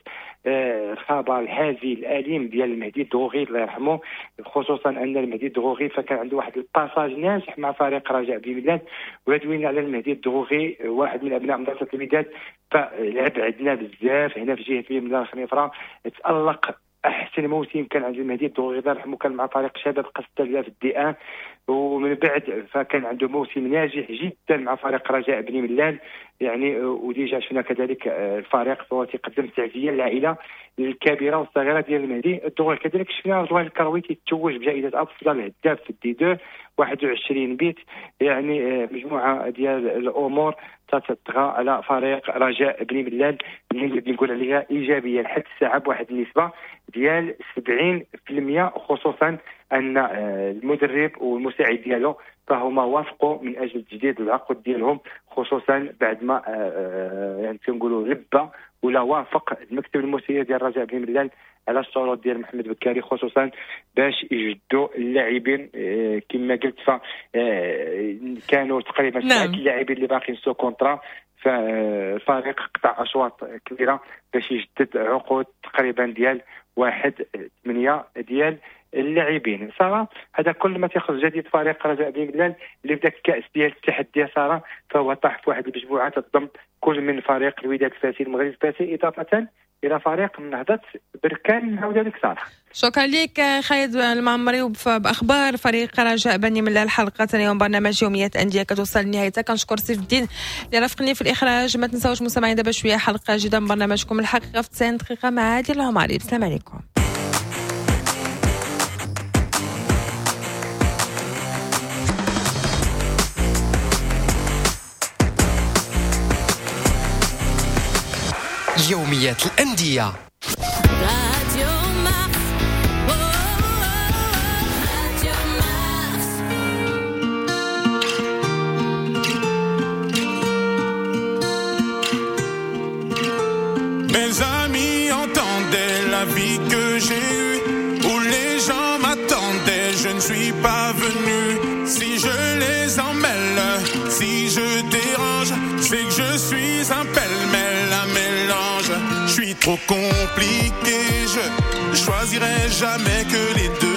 الخبر الحازي الاليم ديال المهدي الدغوغي الله يرحمه، خصوصا ان المهدي الدغوغي فكان عنده واحد ال passage ناجح مع فريق رجاء بني ملال. ودوينا على المهدي الدغوغي واحد من ابناء مدرسه الوداد، فلعب عندنا بزاف هنا في جهة بني ملال خنيفره، تالق احسن موسم كان عند المهدي الدغوغي الله يرحمه كان مع فريق شباب قسطنطينية في ال D un، ومن بعد فكان عنده موسم ناجح جدا مع فريق رجاء بني ملال يعني. و déjà شفنا كذلك الفريق فهو تيقدم تعزية للعائلة الكبيرة والصغيرة ديال المهدي الدغوغي. كذلك شفنا رضوان الكروي تيتوج بجائزة افضل هداف في ال D deux واحد وعشرين بيت. يعني مجموعة ديال الامور تتطغى على فريق رجاء بني ملال اللي نقول عليها ايجابية لحد الساعة بواحد النسبة ديال سبعين بالمية، خصوصا ان المدرب والمساعد ديالو فهما وافقوا من اجل تجديد العقد ديالهم، خصوصا بعد ما يعني كنقولوا لبى ولا وافق المكتب المسير ديال رجاء بني ملال على الشروط ديال محمد بكاري، خصوصا باش يجدوا اللاعبين كما قلت ف كانوا تقريبا سبعة اللاعبين اللي باقيين sous contrat، فالفريق قطع اشواط كبيرة باش يجدد عقود تقريبا ديال واحد ثمانية ديال اللاعبين. ساره هذا كل ما تيخص جديد فريق رجاء بني ملال اللي في ذاك الكاس ديال التحدي ساره فهو طاح في واحد المجموعة تضم كل من فريق الوداد الفاسي المغرب الفاسي اضافه الى فريق نهضة بركان. نعاود لك ساره. شكرا لك خالد المعمري باخبار فريق رجاء بني ملال. حلقة اليوم برنامج يوميات اندية كتوصل لنهايتها. كنشكر سيف الدين اللي رافقني في الاخراج. ما تنساوش مستمعين دابا شوية حلقة جديدة من برنامجكم الحقيقة في تسعين دقيقة مع عادل العمري. السلام عليكم. يوميات الأندية. Mes amis entendaient la vie que j'ai eue, où les gens m'attendaient, je ne suis pas venu. Si je les emmêle, si je dérange, c'est que je suis un pêle-mêle, un mélange. Je suis trop compliqué, je choisirai jamais que les deux.